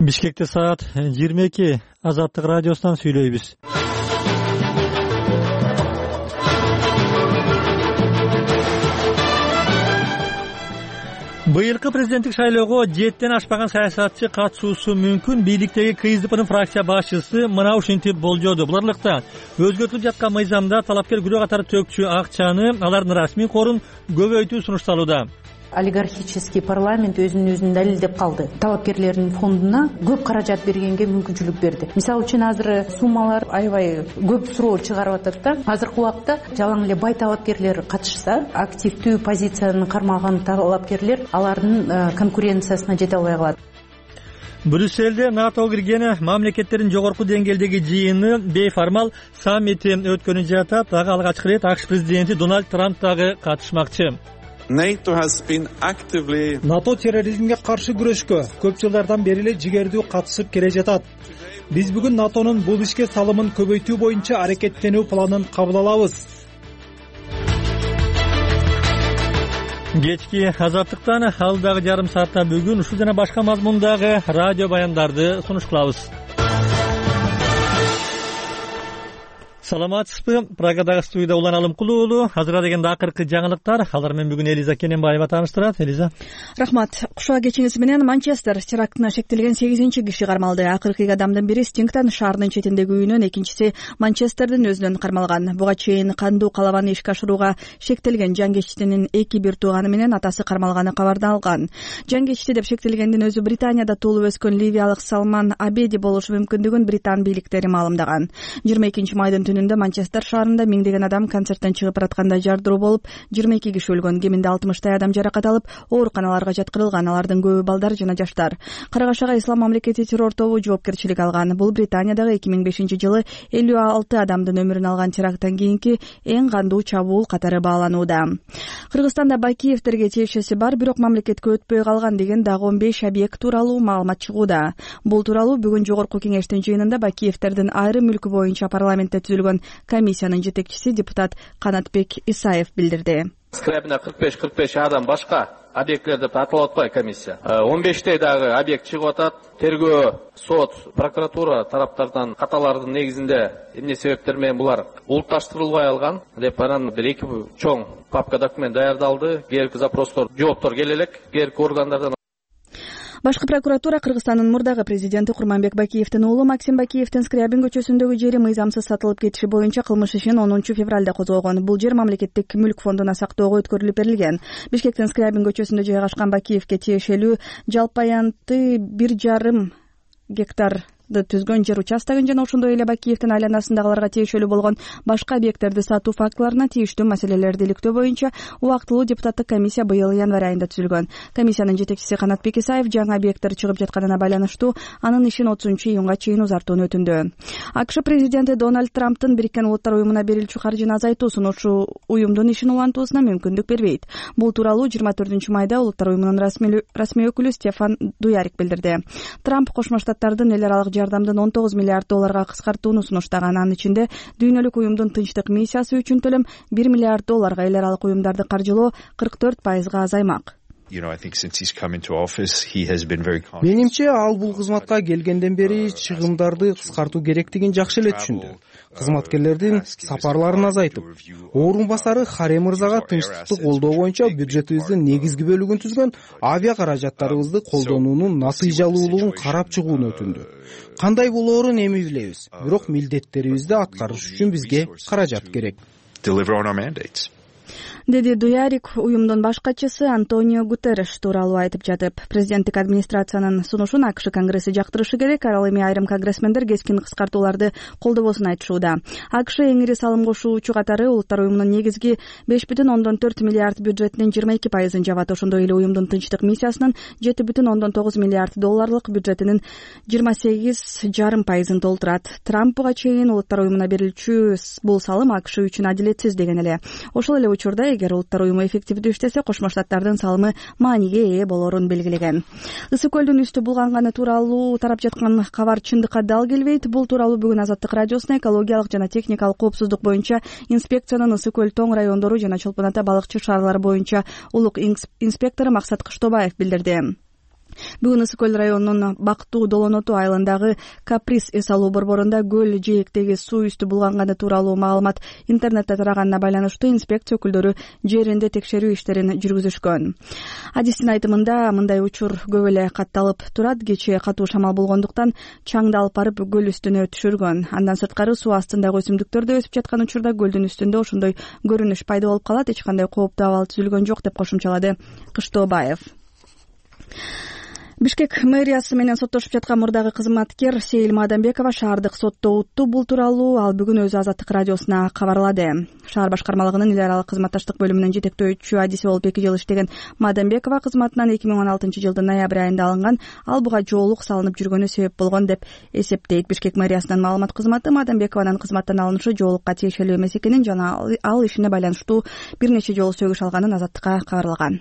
Бишкекте саат 22. Азаттык радиосунан сүйлөйбүз. Быйылкы президенттик шайлоого 7ден ашпаган саясатчы катышуусу мүмкүн. Бийликтеги КСДПнын фракция башчысы мына ушинтип болжоду. Буларлыкта өзгөртүлүп жаткан мыйзамда талапкер күрөө катары төкчү акчаны алардын расмий корун көбөйтүү сунушталууда. Олигархический парламент өзүн далилдеп калды. Талапкерлердин фондуна көп каражат бергенге мүмкүнчүлүк берди. Мисалы үчүн азыр суммалар аябай көп суроо чыгарып атат да. Азыркы убакта жалаң эле бай талапкерлер катышса, активдүү позицияны кармаган талапкерлер алардын конкуренциясына жете албай калат. Брюссельде НАТО кирген мамлекеттердин жогорку деңгээлдеги жыйыны бейформал саммити өткөнү жатат. Дагы алгачкы ирет АКШ президенти Дональд Трамп дагы катышмакчы. НАТО терроризмге каршы күрөшкө көп жылдардан бери эле жигердүү катышып келе жатат. Биз бүгүн НАТОнун бул ишке салымын көбөйтүү боюнча аракеттенүү планын кабыл алабыз. Кечки азаттыктан алдагы жарым саатта бүгүн ушул жана башка мазмундагы радио баяндарды сунуш кылабыз. Саламатсызбы? Прагадагы студияда Улан Алымкулуу уулу. Азыр дегенде акыркы жаңылыктар. Алар менен бүгүн Элиза Кененбаева тааныштырат. Элиза. Рахмат. Кушуа кечиңиз менен Манчестер терактына шектелген 8-киши кармалды. Акыркы адамдын бири Стингтон шаарынын четиндеги үйүнөн, экинчиси Манчестердин өзүнөн кармалган. Буга чейин кандуу калабаны ишке ашырууга шектелген жангечтинин бир тууганы менен атасы кармалганы кабардаалган. Жангечти деп шектелгендин өзү Британияда туулуп өскөн ливиялык Салман Абеди болушу мүмкүндүгүн Британ бийликтери маалымдаган. 22 майдын Манчестер шаарында миңдеген адам концерттен чыгып баратканда жардыруу болуп, 22 киши өлгөн, кеминде 60 адам жаракат алып, ооруканаларга жаткырылган. Алардын көбү балдар жана жаштар. Карагашага Ислам мамлекети террор тобу жоопкерчилик алган. Бул Британиядагы 2005-жылы 56 адамдын өмүрүн алган теракттан кийинки эң кандуу чабуул катары бааланууда. Кыргызстанда Бакиевтерге тиешеси бар, бирок мамлекетке өтпөй калган деген дагы 15 объект тууралуу маалымат чыгууда. Бул тууралуу бүгүн жогорку кеңештин жыйынында Бакиевтердин айрым мүлкү боюнча парламентте түзүлгөн комиссиянын жетекчиси депутат Канатбек Исаев билдирди. Скребине 45 адам башка объектлер деп аталып атпайбы комиссия. 15 дагы объект чыгып атат. Тергөө, сот, прокуратура тараптардан каталардын негизинде эмне себептер менен булар улутташтырылбай алган деп анан бир эки чоң папка документ даярдалды. Кээинки запростор, жооптор келе элек кээинки органдардан. Башкы прокуратура Кыргызстандын мурдагы президенти Курманбек Бакиевдин уулу Максим Бакиевдин Скрябин көчөсүндөгү жери мыйзамсыз сатылып кетиши боюнча кылмыш ишин 10 февралда козгогон. Бул жер мамлекеттик мүлк фондуна сактоого өткөрүлүп берилген. Бишкектин Скрябин көчөсүндө жайгашкан Бакиевге тиешелүү жалпы аянты 1,5 гектар түзгөн жер участогун жана ошондой эле Бакиевдин айланасындагыларга тиешелүү болгон башка объекттерди сатуу фактыларына тийиштүү маселелерди иликтөө боюнча убактылуу депутаттык комиссия быйыл январь айында түзүлгөн. Комиссиянын жетекчиси Канатбек Исаев жаңы объекттер чыгып жатканына байланыштуу анын ишин 30-июнга чейин узартууну өтүндү. АКШ президенти Дональд Трамптын Бириккен Улуттар уюмуна берилчү каржыны азайтуу сунушу уюмдун ишин улантуусуна мүмкүндүк бербейт. Бул тууралуу 24-майда Улуттар уюмунун расмий өкүлү Стефан Дуярик билдирди. Трамп Кошмо Штаттардын эл аралык жардамдын $19 миллиард кыскартууну сунуштаган. Анын ичинде дүйнөлүк уюмдун тынчтык миссиясы үчүн төлөм $1 миллиард, эл аралык уюмдарды каржылоо 44% азаймак. Менимче ал бул кызматка келгенден бери чыгымдарды кыскартуу керектигин жакшы эле түшүндү. Кызматкерлердин сапарларын азайтып, орун басары Харе мырзага тынчтыкты колдоо боюнча бюджетибиздин негизги бөлүгүн түзгөн авиа каражаттарыбызды колдонуунун натыйжалуулугун карап чыгууну өтүндү. Кандай болоорун эми билебиз, бирок милдеттерибизди аткарыш үчүн бизге каражат керек. Деди Дуярик уюмдун баш катчысы Антонио Гутерреш тууралуу айтып жатып. Президенттик администрациянын сунушун АКШ Конгресси жактырышы керек. Ал эми айрым конгрессмендер кескин кыскартууларды колдобосун айтышууда. АКШ эң ири салым кошуучу катары Улуттар уюмунун негизги 5,4 миллиард бюджетинин 22%ын жабат. Ошондой эле уюмдун тынчтык миссиясынын 7,9 миллиард долларлык бюджетинин 28,5%ын толтурат. Трамп буга чейин Улуттар уюмуна берилчү бул салым АКШ үчүн адилетсиз деген эле. Ошол эле учурда эгер Улуттар уюму эффективдүү иштесе, Кошмо Штаттардын салымы мааниге ээ болорун белгилеген. Ысык көлдүн үстү булганганы тууралуу тарап жаткан кабар чындыкка дал келбейт. Бул тууралуу бүгүн Азаттык радиосуна экологиялык жана техникалык коопсуздук боюнча инспекциянын Ысык көл тоң райондору жана Чолпон ата балыкчы шаарлары боюнча улук инспектору Максат Кыштобаев билдирди. Бүгүн Ысык көл районунун Бактуу Долоноту айылындагы Каприз эс алуу борборунда көл жээктеги суу үстү булганганы тууралуу маалымат интернетте тараганына байланыштуу инспекция өкүлдөрү жеринде текшерүү иштерин жүргүзүшкөн. Адистин айтымында мындай учур көп эле катталып турат. Кечээ катуу шамал болгондуктан чаңды алып барып көл үстүнө түшүргөн. Андан сырткары суу астындагы өсүмдүктөр да өсүп жаткан учурда көлдүн үстүндө ошондой көрүнүш пайда болуп калат. Эч кандай кооптуу абал түзүлгөн жок деп кошумчалады Кыштообаев. Бишкек мэриясы менен соттошуп жаткан мурдагы кызматкер Сейил Мадамбекова шаардык сотто утту. Бул тууралуу ал бүгүн өзү Азаттык радиосуна кабарлады. Шаар башкармалыгынын эл аралык кызматташтык бөлүмүнүн жетектөөчү адиси болуп 2 жыл иштеген Мадамбекова кызматынан 2016 жылдын ноябрь айында алынган. Ал буга жоолук салынып жүргөнү себеп болгон деп эсептейт. Бишкек мэриясынын маалымат кызматы Мадамбекованын кызматтан алынышы жоолукка тиешелүү эмес экенин жана ал ишине байланыштуу бир нече жолу сөгүш алганын Азаттыкка кабарлаган.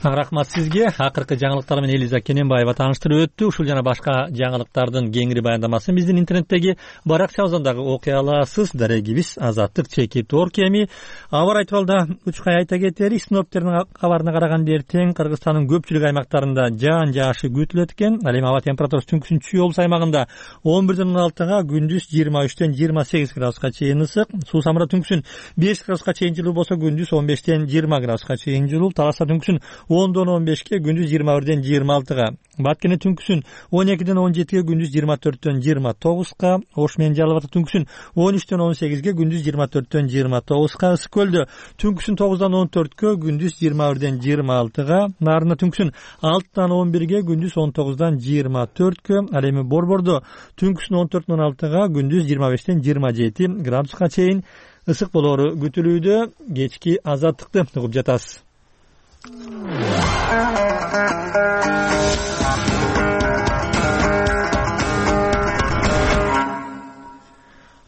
Рахмат сизге. Акыркы жаңылыктар менен Элиза Кененбаева тааныштырып өттү. Ушул жана башка жаңылыктардын кеңири баяндамасын биздин интернеттеги баракчабыздагы окуй аласыз. Дарегибиз Азаттык ЧК эми аба ырайы тууралуу учкай айта кетели. Синоптиктердин кабарына караганда эртең Кыргызстандын көпчүлүк аймактарында жаан жаашы күтүлөт экен. Ал эми аба температурасы түнкүсүн Чүй облус аймагында 11-16, күндүз 23-28 градуска чейин ысык. Суу Самырда түнкүсүн 5 градуска чейин жылуу болсо, күндүз 15-20 градуска чейин жылуу. Таласта түнкүсүн 10-15, күндүз 21-26. Баткене түнкүсүн 12-17, күндүз 24-29. Ош менен Жалал Абадта түнкүсүн 13-18, күндүз 24-29. Ысык көлдө түнкүсүн 9-14, күндүз 21-26. Нарында түнкүсүн 6-11, күндүз 19-24. Ал эми Борбордо түнкүсүн 14-16, күндүз 25-27 градуска чейин ысык болоору күтүлүүдө. Кечки Азаттыкты угуп жатасыз.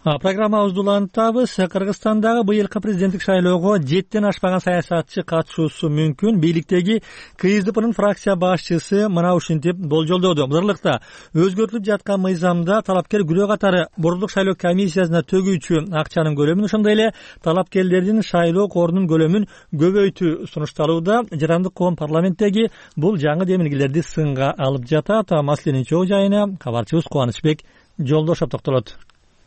Программабызды улантабыз. Кыргызстандагы быйылкы президенттик шайлоого 7ден ашпаган саясатчы катышуусу мүмкүн. Бийликтеги КСДПнын фракция башчысы мына ушинтип болжолдоду. Былтыркта өзгөртүлүп жаткан мыйзамда талапкер күрөө катары борбордук шайлоо комиссиясына төгүүчү акчанын көлөмүн, ошондой эле талапкерлердин шайлоо корунун көлөмүн көбөйтүү сунушталууда. Жарандык коом парламенттеги бул жаңы демилгелерди сынга алып жатат. Маселенин чоо жайына кабарчыбыз Кубанычбек Жолдошов токтолот.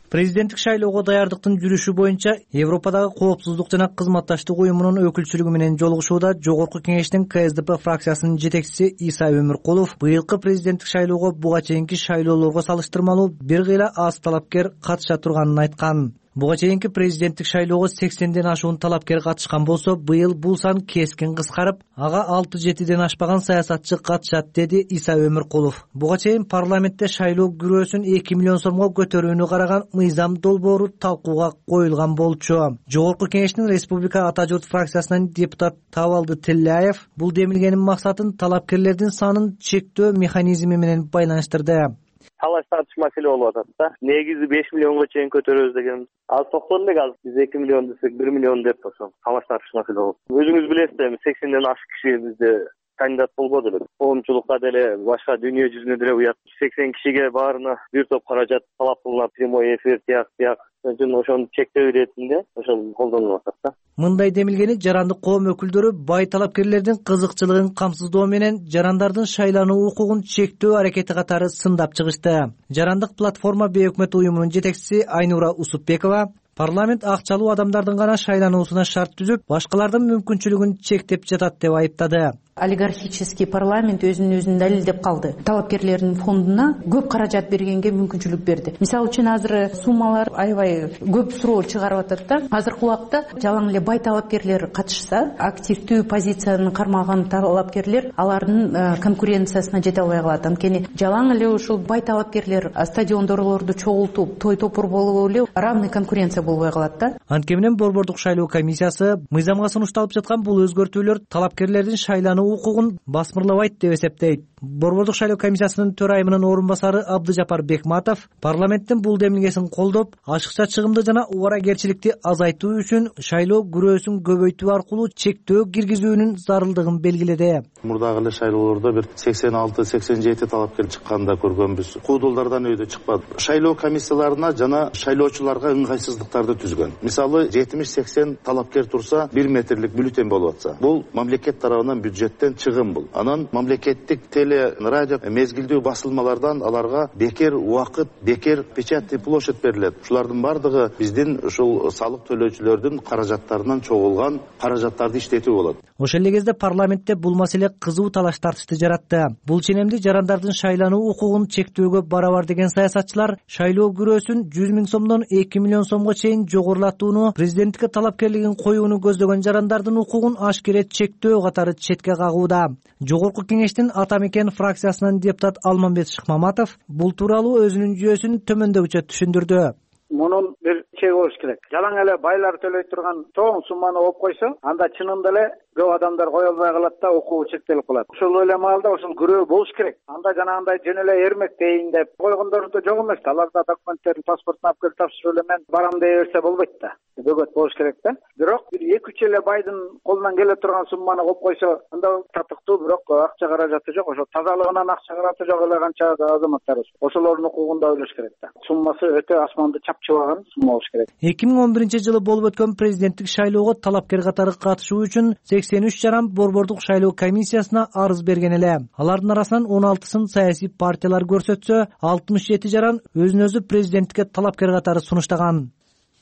Президенттик шайлоого даярдыктын жүрүшү боюнча Европадагы коопсуздук жана кызматташтык уюмунун өкүлчүлүгү менен жолугушууда Жогорку кеңештин КСДП фракциясынын жетекчиси Иса Өмүркулов быйылкы президенттик шайлоого буга чейинки шайлоолорго салыштырмалуу бир кыйла аз талапкер катыша турганын айткан. Буга чейинки президенттик шайлоого 80ден ашуун талапкер катышкан болсо, быйыл бул сан кескин кыскарып, ага 6-7ден ашпаган саясатчы катышат, деди Иса Өмүркулов. Буга чейин парламентте шайлоо күрөөсүн 2 миллион сомго көтөрүүнү караган мыйзам долбоору талкууга коюлган болчу. Жогорку кеңештин Республика Ата журт фракциясынын депутат Табалды Тилляев бул демилгенин максатын талапкерлердин санын чектөө механизми менен байланыштырды. Талаш тартыш маселе болуп атат да. Негизи 5 миллионго чейин көтөрөбүз деген. Ал токтон элек азыр биз 2 миллион десек 1 миллион деп ошо талаш тартыш маселе болот. Өзүңүз билесиз, эми 80ден ашык киши бизде кандидат болбоду эле. Коомчулукка деле, башка дүйнө жүзүнө деле уят. 80 кишиге баарына бир топ каражат талап кылынат, прямой эфир тияк. Ошону чектөө иретинде ошол колдонулуп атат да. Мындай демилгени жарандык коом өкүлдөрү бай талапкерлердин кызыкчылыгын камсыздоо менен жарандардын шайлануу укугун чектөө аракети катары сындап чыгышты. Жарандык платформа бейөкмөт уюмунун жетекчиси Айнура Усупбекова парламент акчалуу адамдардын гана шайлануусуна шарт түзүп, башкалардын мүмкүнчүлүгүн чектеп жатат деп айыптады. Олигархический парламент өзүн далилдеп калды. Талапкерлердин фондуна көп каражат бергенге мүмкүнчүлүк берди. Мисалы үчүн азыр суммалар аябай көп суроо чыгарып атат да. Азыркы убакта жалаң эле бай талапкерлер катышса, активдүү позицияны кармаган талапкерлер алардын конкуренциясына жете албай калат. Анткени жалаң эле ушул бай талапкерлер стадиондорлорду чогултуп, той-топур болуп эле равный конкуренция болбой калат да. Анткени менен борбордук шайлоо комиссиясы мыйзамга сунушталып жаткан бул өзгөртүүлөр талапкерлердин шайлануу укугун басмырлабайт деп эсептейт. Борбордук шайлоо комиссиясынын төрайымынын орун басары Абдыжапар Бекматов парламенттин бул демилгесин колдоп, ашыкча чыгымды жана убаракерчиликти азайтуу үчүн шайлоо күрөөсүн көбөйтүү аркылуу чектөө киргизүүнүн зарылдыгын белгиледи. Мурдагы эле шайлоолордо бир 86-87 талапкер чыкканда көргөнбүз. Куудулдардан өйдө чыкпады. Шайлоо комиссияларына жана шайлоочуларга ыңгайсыздыктарды түзгөн. Мисалы 70-80 талапкер турса 1 метрлик бюллетень болуп атса, бул мамлекет тарабынан бюджеттен чыгым бул. Анан мамлекеттик теле эле радио мезгилдүү басылмалардан аларга бекер убакыт, бекер печатный площадь берилет. Ушулардын бардыгы биздин ушул салык төлөөчүлөрдүн каражаттарынан чогулган каражаттарды иштетүү болот. Ошол эле кезде парламентте бул маселе кызуу талаш тартышты жаратты. Бул ченемди жарандардын шайлануу укугун чектөөгө барабар деген саясатчылар шайлоо күрөөсүн 100 000 сомдон 2 миллион сомго чейин жогорулатууну, президенттикке талапкерлигин коюуну көздөгөн жарандардын укугун ашкере чектөө катары четке кагууда. Жогорку кеңештин Ата Мекен фракциясынан депутат Алмамбет Шыкмаматов бул тууралуу өзүнүн жүйөсүн төмөндөгүчө түшүндүрдү. Мунун бир чеги болуш керек. Жалаң эле байлар төлөй турган чоң сумманы коюп койсо, анда чынында эле көп адамдар кое албай калат да укугу чектелип калат. Ошол эле маалда ошол күрөө болуш керек. Анда жанагындай жөн эле эрмектейин деп койгондор да жок эмес. Алар да документтерин, паспортун алып келип тапшырып эле мен барам дей берсе болбойт да. Бөгөт болуш керек да. Бирок бир 2-3 эле байдын колунан келе турган сумманы коюп койсо, анда татыктуу, бирок акча каражаты жок. Ошо тазалыгынан акча каражаты жок эле канча азаматтарыбыз. Ошолордун укугунда ойлош керек да. Суммасы өтө асманды чапчыбаган сумма болуш керек. 2011-жылы болуп өткөн президенттик шайлоого талапкер катары катышуу үчүн 83 жаран борбордук шайлоо комиссиясына арыз берген эле. Алардын арасынан 16сын саясий партиялар көрсөтсө, 67 жаран өзүн өзү президенттикке талапкер катары сунуштаган.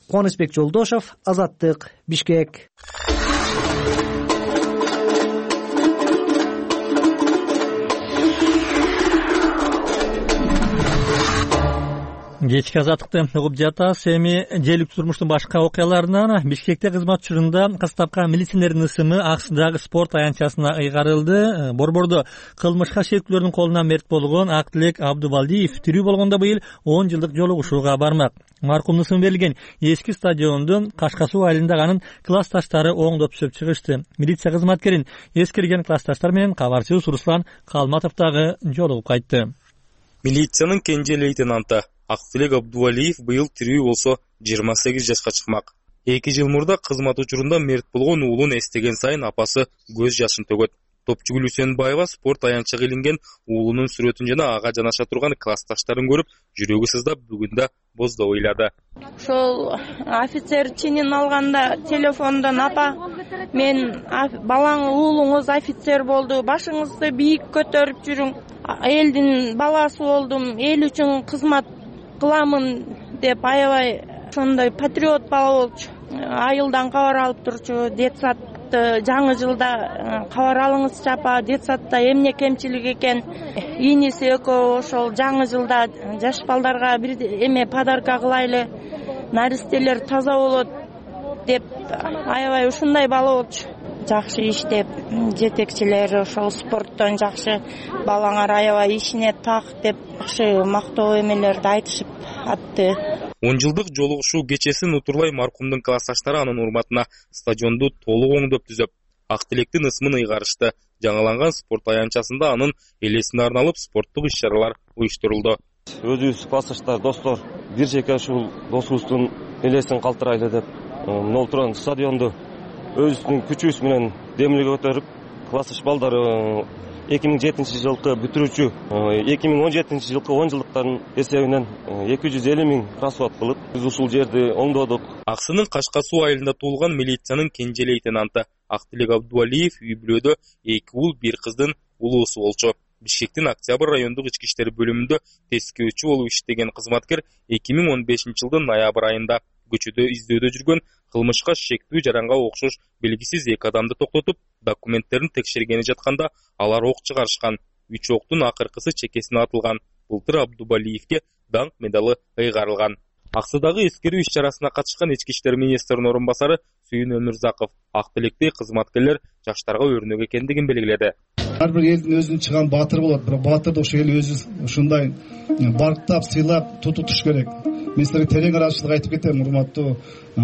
Кубанычбек Жолдошов, Азаттык, Бишкек. Кечки Азаттыкты угуп жатасыз. Эми желиктүү турмуштун башка окуяларынан Бишкекте кызмат учурунда кыз тапкан милиционердин ысымы Аксудагы спорт аянтчасына ыйгарылды. Борбордо кылмышка шектүүлөрдүн колунан мерт болгон Актилек Абдубалдиев тирүү болгондо быйыл 10 жылдык жолугушууга бармак. Маркумдун ысымы берилген эски стадиондун Кашка суу айылындагы анын классташтары оңдоп түзөп чыгышты. Милиция кызматкерин эскирген классташтар менен кабарчыбыз Руслан Калматов дагы жолугуп кайтты. Милициянын кенже лейтенанты Актилек Абдубалдиев быйыл тирүү болсо 28 жашка чыкмак. 2 жыл мурда кызмат учурунда мерт болгон уулун эстеген сайын апасы көз жашын төгөт. Топчугүл Үсөнбаева спорт аянтчага илинген уулунун сүрөтүн жана ага жанаша турган классташтарын көрүп, жүрөгү сыздап бүгүндө боздоп ыйлады. Ошол офицер чинин алганда телефондон апа, мен балаң уулуңуз офицер болду, башыңызды бийик көтөрүп жүрүң. Элдин баласы болдум, эл үчүн кызмат кыламын деп аябай ошондой патриот бала болчу. Айылдан кабар алып турчу, детсадты жаңы жылда кабар алыңызчы апа, детсадта эмне кемчилик экен. Ийниси экөө ошол жаңы жылда жаш балдарга бир эме подарка кылайлы, наристелер таза болот деп аябай ушундай бала болчу. Жакшы иштеп, жетекчилер ошол спорттон жакшы балаңар аябай ишине так деп жакшы мактоо эмелерди айтышып атты. 10 жылдык жолугушуу кечесин утурлай маркумдун классташтары анын урматына стадионду толук оңдоп түзөп, Актилектин ысмын ыйгарышты. Жаңыланган спорт аянтчасында анын элесине арналып спорттук иш-чаралар уюштурулду. Өзүбүз классташтар, достор, бир жеке ушул досубуздун элесин калтырайлы деп, мына турган стадионду өзүбүздүн күчүбүз менен демилге көтөрүп, классташ балдар 2007 жылкы бүтүрүүчү 2017 жылкы 10 жылдыктардын эсебинен 250 000 расход кылып, биз ушул жерди оңдодук. Аксынын Кашка суу айылында туулган милициянын кенже лейтенанты Актилек Абдубалдиев үй бүлөдө 2 уул, 1 кыздын улуусу болчу. Бишкектин Октябрь райондук ички иштер бөлүмүндө тескөөчү болуп иштеген кызматкер 2015 жылдын ноябрь айында көчөдө издөөдө жүргөн кылмышка шектүү жаранга окшош белгисиз 2 адамды токтотуп, документтерин текшергени жатканда алар ок чыгарышкан. 3 октун акыркысы чекесине атылган. Былтыр Абдубалдиевке даңк медалы ыйгарылган. Аксудагы эскерүү иш-чарасына катышкан ички иштер министринин орун басары Сүйүн Өмүрзаков Актилекте кызматкерлер жаштарга өрнөк экендигин белгиледи. Ар бир элдин өзүнүн чыган баатыры болот, бирок баатырды ошол эл өзү ушундай барктап, сыйлап тутуш керек. Мен силерге терең ыраазычылык айтып кетем, урматтуу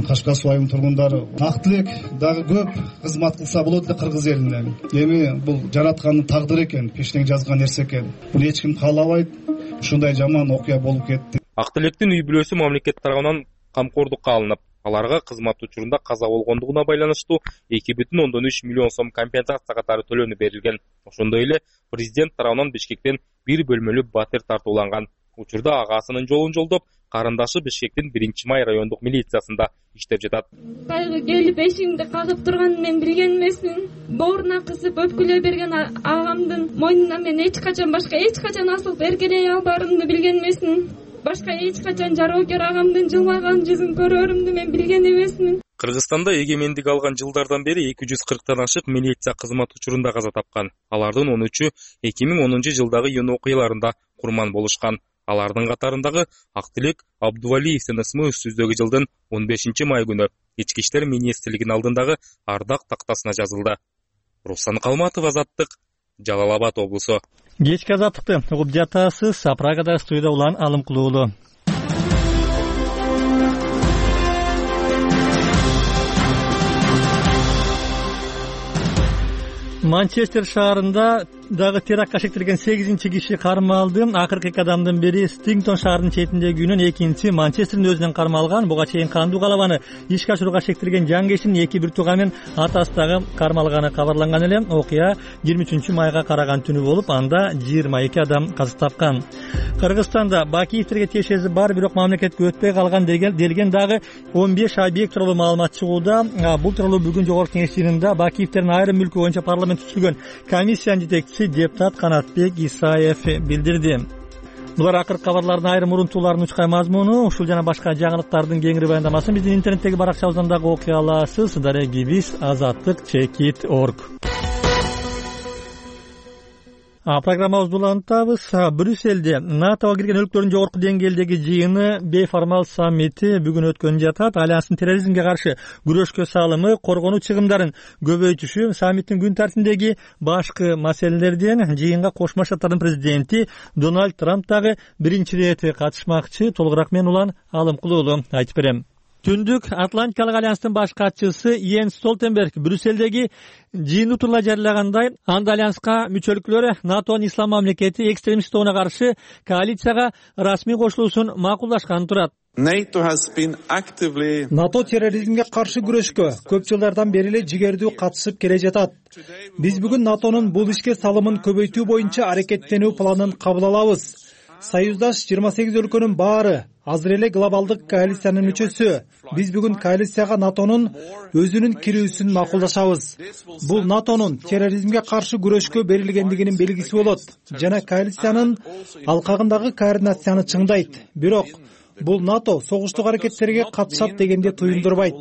Кашка суу айылынын тургундары. Актилек дагы көп кызмат кылса болот эле кыргыз элине. Эми бул жараткандын тагдыры экен, пештен жазган нерсе экен. Буну эч ким каалабайт. Ушундай жаман окуя болуп кетти. Актилектин үй бүлөсү мамлекет тарабынан камкордукка алынып, аларга кызмат учурунда каза болгондугуна байланыштуу 2,3 миллион сом компенсация катары төлөнүп берилген. Ошондой эле президент тарабынан Бишкектен 1 бөлмөлүү батир тартууланган. Учурда агасынын жолун жолдоп, карындашы Бишкектин 1-май райондук милициясында иштеп жатат. Кайгы келип эшигимди кагып турганын мен билген эмесмин. Бооруна кысып өпкүлөй берген агамдын мойнуна мен эч качан асылып эркелей албарымды билген эмесмин. Башка эч качан жароокер агамдын жылмайган жүзүн көрөрүмдү мен билген эмесмин. Кыргызстанда эгемендик алган жылдардан бери 240тан ашык милиция кызмат учурунда каза тапкан. Алардын 13-ü 2010 жылдагы июнь окуяларында курман болушкан. Алардын катарындагы Актилек Абдувалиевдин ысмы үстүздөгү жылдын 15-май күнү Ички иштер министрлигинин алдындагы ардак тактасына жазылды. Руслан Калматов, Азаттык, Жалал Абад облусу. Кечки Азаттыкты угуп жатасыз. Прагада студияда Улан Алымкулуулу. Манчестер шаарында дагы терактка шектелген 8-киши кармалды. Акыркы 2 адамдын бири Стингтон шаарынын четиндеги үйүнөн, экинчиси Манчестердин өзүнөн кармалган. Буга чейин кандуу калабаны ишке ашырууга шектелген жангешинин 2 бир тууганы менен атасы дагы кармалганы кабарланган эле. Окуя 23-майга караган түнү болуп, анда 22 адам каза тапкан. Кыргызстанда Бакиевтерге тиешеси бар, бирок мамлекетке өтпөй калган делген дагы 15 объект тууралуу маалымат чыгууда. Бул тууралуу бүгүн жогорку кеңеш жыйынында Бакиевтердин айрым мүлкү боюнча парламент түзүлгөн комиссиянын жетекчиси депутат Канатбек Исаев билдирди. Булар акыркы кабарлардын айрым урунтууларынын учкай мазмуну. Ушул жана башка жаңылыктардын кеңири баяндамасын биздин интернеттеги баракчабыздан дагы окуй аласыз. Дарегибиз azattik.org. Программабызды улантабыз. Брюсселде НАТОга кирген өлкөлөрдүн жогорку деңгээлдеги жыйыны бейформал саммити бүгүн өткөн жатат. Альянстын терроризмге каршы күрөшкө салымы, коргонуу чыгымдарын көбөйтүшү саммиттин күн тартибиндеги башкы маселелерден. Жыйынга Кошмо Шаттардын президенти Дональд Трамп дагы биринчи ирет катышмакчы. Толугураак мен Улан Алымкулуулу айтып берем. Түндүк Атлантикалык альянстын баш катчысы Йенс Столтенберг Брюссельдеги жыйынды турла жарыягандай, анда альянска мүчөлүктөр НАТОнун ислам мамлекети экстремист тобуна каршы коалицияга расмий кошулуусун макулдашканын турат. НАТО терроризмге каршы күрөшкө көп жылдардан бери эле жигердүү катышып келе жатат. Биз бүгүн НАТОнун бул ишке салымын көбөйтүү боюнча аракеттенүү планын кабыл алабыз. Союздаш 28 өлкөнүн баары азыр эле глобалдык коалициянын мүчөсү. Биз бүгүн коалицияга НАТОнун өзүнүн кирүүсүн макулдашабыз. Бул НАТОнун терроризмге каршы күрөшкө берилгендигинин белгиси болот жана коалициянын алкагындагы координацияны чыңдайт. Бирок бул НАТО согуштук аракеттерге катышат дегенди туюндурбайт,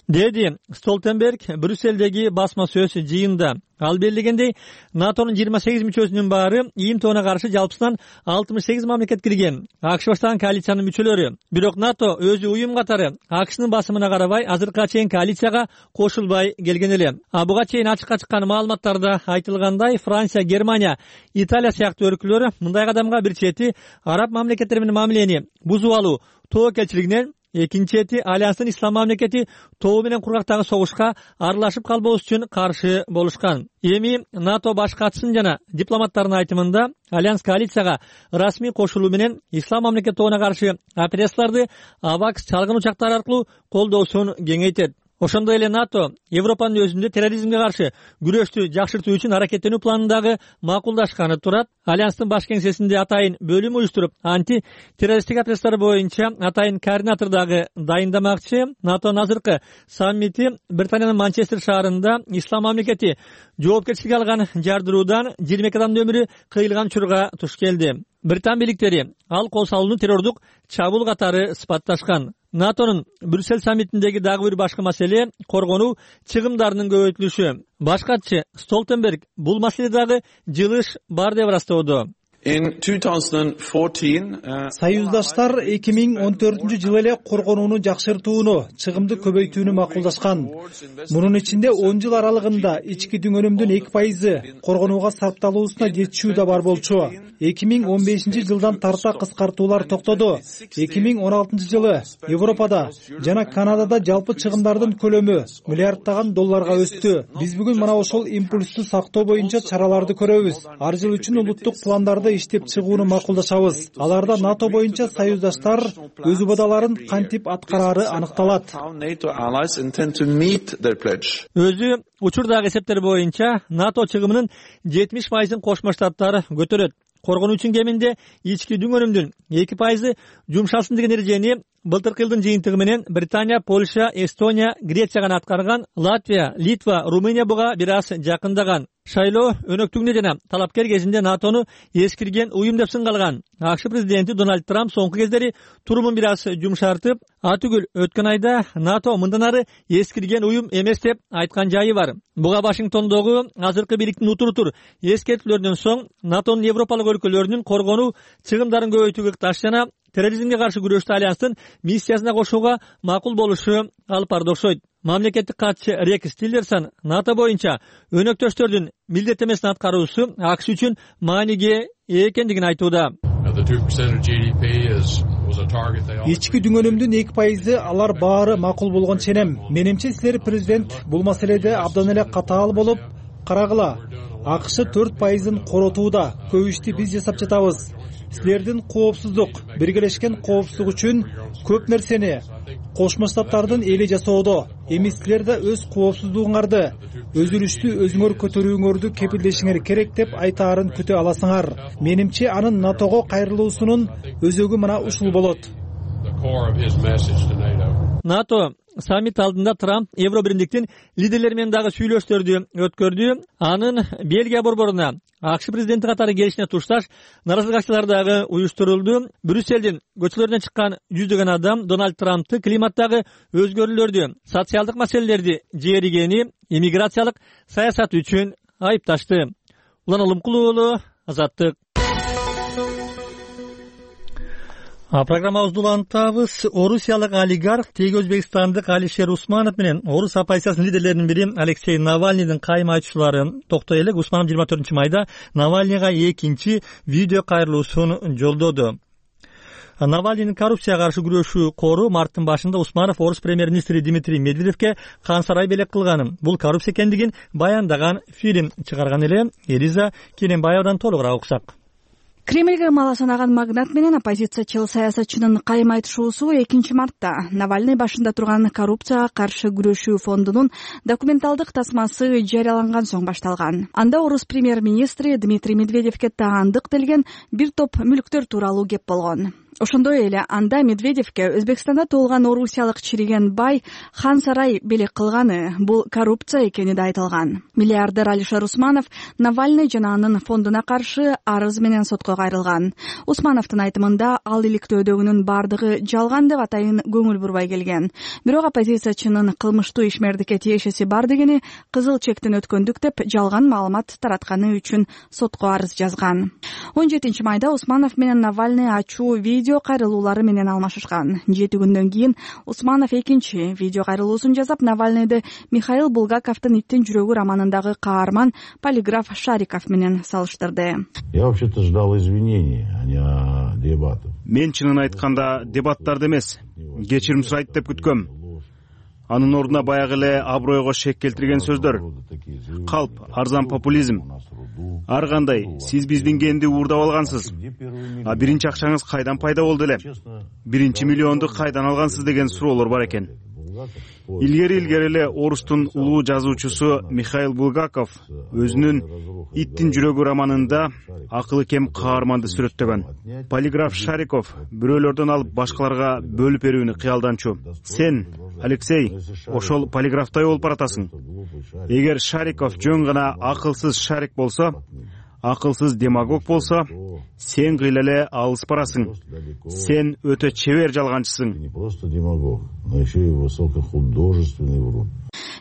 деди Столтенберг Брюссельдеги басма сөз жыйында. Ал белгилегендей, НАТОнун 28 мүчөсүнүн баары ийим тобуна каршы жалпысынан 68 мамлекет кирген. АКШ баштаган коалициянын мүчөлөрү. Бирок НАТО өзү уюм катары АКШнын басымына карабай азыркыга чейин коалицияга кошулбай келген эле. Буга чейин ачыкка чыккан маалыматтарда айтылгандай, Франция, Германия, Италия сыяктуу өлкөлөр мындай кадамга бир чети араб мамлекеттери менен мамилени бузуп алуу тобокелчилигинен, экинчи чети альянстын ислам мамлекети тобу менен кургактагы согушка аралашып калбоосу үчүн каршы болушкан. Эми НАТО баш катчысынын жана дипломаттардын айтымында альянс коалицияга расмий кошулуу менен ислам мамлекет тобуна каршы операцияларды AWACS чалгын учактары аркылуу колдоосун кеңейтет. Ошондой эле НАТО Европанын өзүндө терроризмге каршы күрөштү жакшыртуу үчүн аракеттенүү планын дагы макулдашканы турат. Альянстын баш кеңсесинде атайын бөлүм уюштуруп, анти-террористтик операциялар боюнча атайын координатор дагы дайындамакчы. НАТОнун азыркы саммити Британиянын Манчестер шаарында ислам мамлекети жоопкерчиликке алган жардыруудан 22 адамдын өмүрү кыйылган учурга туш келди. Британ бийликтери ал кол салууну террордук чабуул катары сыпатташкан. НАТОнун Брюссель саммитиндеги дагы бир башкы маселе коргонуу чыгымдарынын көбөйтүлүшү. Баш катчы Столтенберг бул маселе дагы жылыш бар деп ырастоодо. Союздаштар 2014 жылы эле коргонууну жакшыртууну, чыгымды көбөйтүүнү макулдашкан. Мунун ичинде 10 жыл аралыгында ички дүңөнүмдүн 2% коргонууга сарпталуусуна жетишүү да бар болчу. 2015 жылдан тарта кыскартуулар токтоду. 2016 жылы Европада жана Канадада жалпы чыгымдардын көлөмү миллиарддаган долларга өстү. Биз бүгүн мына ошол импульсту сактоо боюнча чараларды көрөбүз. Ар жыл үчүн улуттук пландарды иштеп чыгууну макулдашабыз. Аларда НАТО боюнча союздаштар өз убадаларын кантип аткарары аныкталат. Өзү учурдагы эсептер боюнча НАТО чыгымынын 70%ын Кошмо Штаттар көтөрөт. коргонуу үчүн кеминде ички дүң өнүмдүн 2% жумшалсын деген эрежени былтыркы жылдын жыйынтыгы менен Британия, Польша, Эстония, Греция гана аткарган. Латвия, Литва, Румыния буга бир аз жакындаган. Шайлоо өнөктүгүнө жана талапкер кезинде НАТОну эскирген уюм деп сынгалган. АКШ президенти Дональд Трамп соңку кездери турумун бир аз жумшартып, атүгүл өткөн айда НАТО мындан ары эскирген уюм эмес деп айткан жайы бар. Буга Вашингтондогу азыркы бийликтин утур эскертүүлөрүнөн соң НАТОнун европалык өлкөлөрүнүн коргонуу чыгымдарын көбөйтүүгө ыкташ жана терроризмге каршы күрөштө альянстын миссиясына кошууга макул болушу алып барда окшойт. Мамлекеттик катчы Рекс Тиллерсон НАТО боюнча өнөктөштөрдүн милдеттемесин аткаруусу АКШ үчүн мааниге ээ экендигин айтууда. Ички дүң өнүмдүн 2% алар баары макул болгон ченем. Менимче силер президент бул маселеде абдан эле катаал болуп карагыла. АКШ 4%-ын коротууда көп ишти биз жасап жатабыз. Силердин коопсуздук, биргелешкен коопсуздук үчүн көп нерсени Кошмо Штаттардын эли жасоодо. Эми силер да өз коопсуздугуңарды, өзүлүштү өзүңөр көтөрүүңөрдү кепилдешиңер керек деп айтаарын күтө аласыңар. Менимче анын НАТОго кайрылуусунун өзөгү мына ушул болот. НАТО саммит алдында Трамп Евробиримдиктин лидерлери менен дагы сүйлөштөрдү өткөрдү. Анын Бельгия борборуна АКШ президенти катары келишине тушташ наразылык акциялары дагы уюштурулду. Брюсселдин көчөлөрүнө чыккан жүздөгөн адам Дональд Трампты климаттагы өзгөрүүлөрдү, социалдык маселелерди жээригени, иммиграциялык саясат үчүн айыпташты. Улан Улумкул уулу, Азаттык. Программабызды улантабыз. Орусиялык олигарх теги өзбекстандык Алишер Усманов менен орус оппозициясынын лидерлеринин бири Алексей Навальныйдын кайым айтуучулары токтой элек. Усманов 24-майда Навальныйга экинчи видео кайрылуусун жолдоду. Навальныйдын коррупцияга каршы күрөшүү кору марттын башында Усманов орус премьер-министри Дмитрий Медведевке хан сарай белек кылганын, бул коррупция экендигин баяндаган фильм чыгарган эле. Элиза Кененбаевадан толугураак уксак. Кремльге мала санаган магнат менен оппозициячыл саясатчынын кайым айтышуусу 2-мартта Навальный башында турган коррупцияга каршы күрөшүү фондунун документалдык тасмасы жарыяланган соң башталган. Анда орус премьер-министри Дмитрий Медведевке таандык делген бир топ мүлктөр тууралуу кеп болгон. Ошондой эле анда Медведевке Өзбекстанда туулган орусиялык чириген бай хан сарай белек кылганы бул коррупция экени да айтылган. Миллиардер Алишер Усманов Навальный жана анын фондуна каршы арыз менен сотко кайрылган. Усмановдун айтымында ал иликтөөдөгүнүн бардыгы жалган деп атайын көңүл бурбай келген. Бирок оппозициячынын кылмыштуу ишмердикке тиешеси бар дегени кызыл чектен өткөндүк деп жалган маалымат таратканы үчүн сотко арыз жазган. 17-майда Усманов менен Навальный ачуу видео кайрылуулары менен алмашышкан. 7 күндөн кийин Усманов экинчи видео кайрылуусун жасап, Навальныйды Михаил Булгаковдун «Иттин жүрөгү» романындагы каарман полиграф Шариков менен салыштырды. Я вообще-то ждал извинений, а не дебатов. Мен чынын айтканда дебаттарды эмес, кечирим сурайт деп күткөм. Анын ордуна баягы эле абройго шек келтирген сөздөр. Калп, арзан популизм. Ар кандай, сиз биздин кенди уурдап алгансыз. А биринчи акчаңыз кайдан пайда болду эле? Биринчи миллионду кайдан алгансыз деген суроолор бар экен. Илгери эле орустун улуу жазуучусу Михаил Булгаков өзүнүн «Иттин жүрөгү» романында акылы кем каарманды сүрөттөгөн. Полиграф Шариков бирөөлөрдөн алып башкаларга бөлүп берүүнү кыялданчу. Сен, Алексей, ошол полиграфтай болуп баратасың. Эгер Шариков жөн гана акылсыз шарик болсо, акылсыз демагог болсо, сен кыйла эле алыс барасың. Сен өтө чебер жалганчысың. Не просто демагог, но еще и высокохудожественный врун.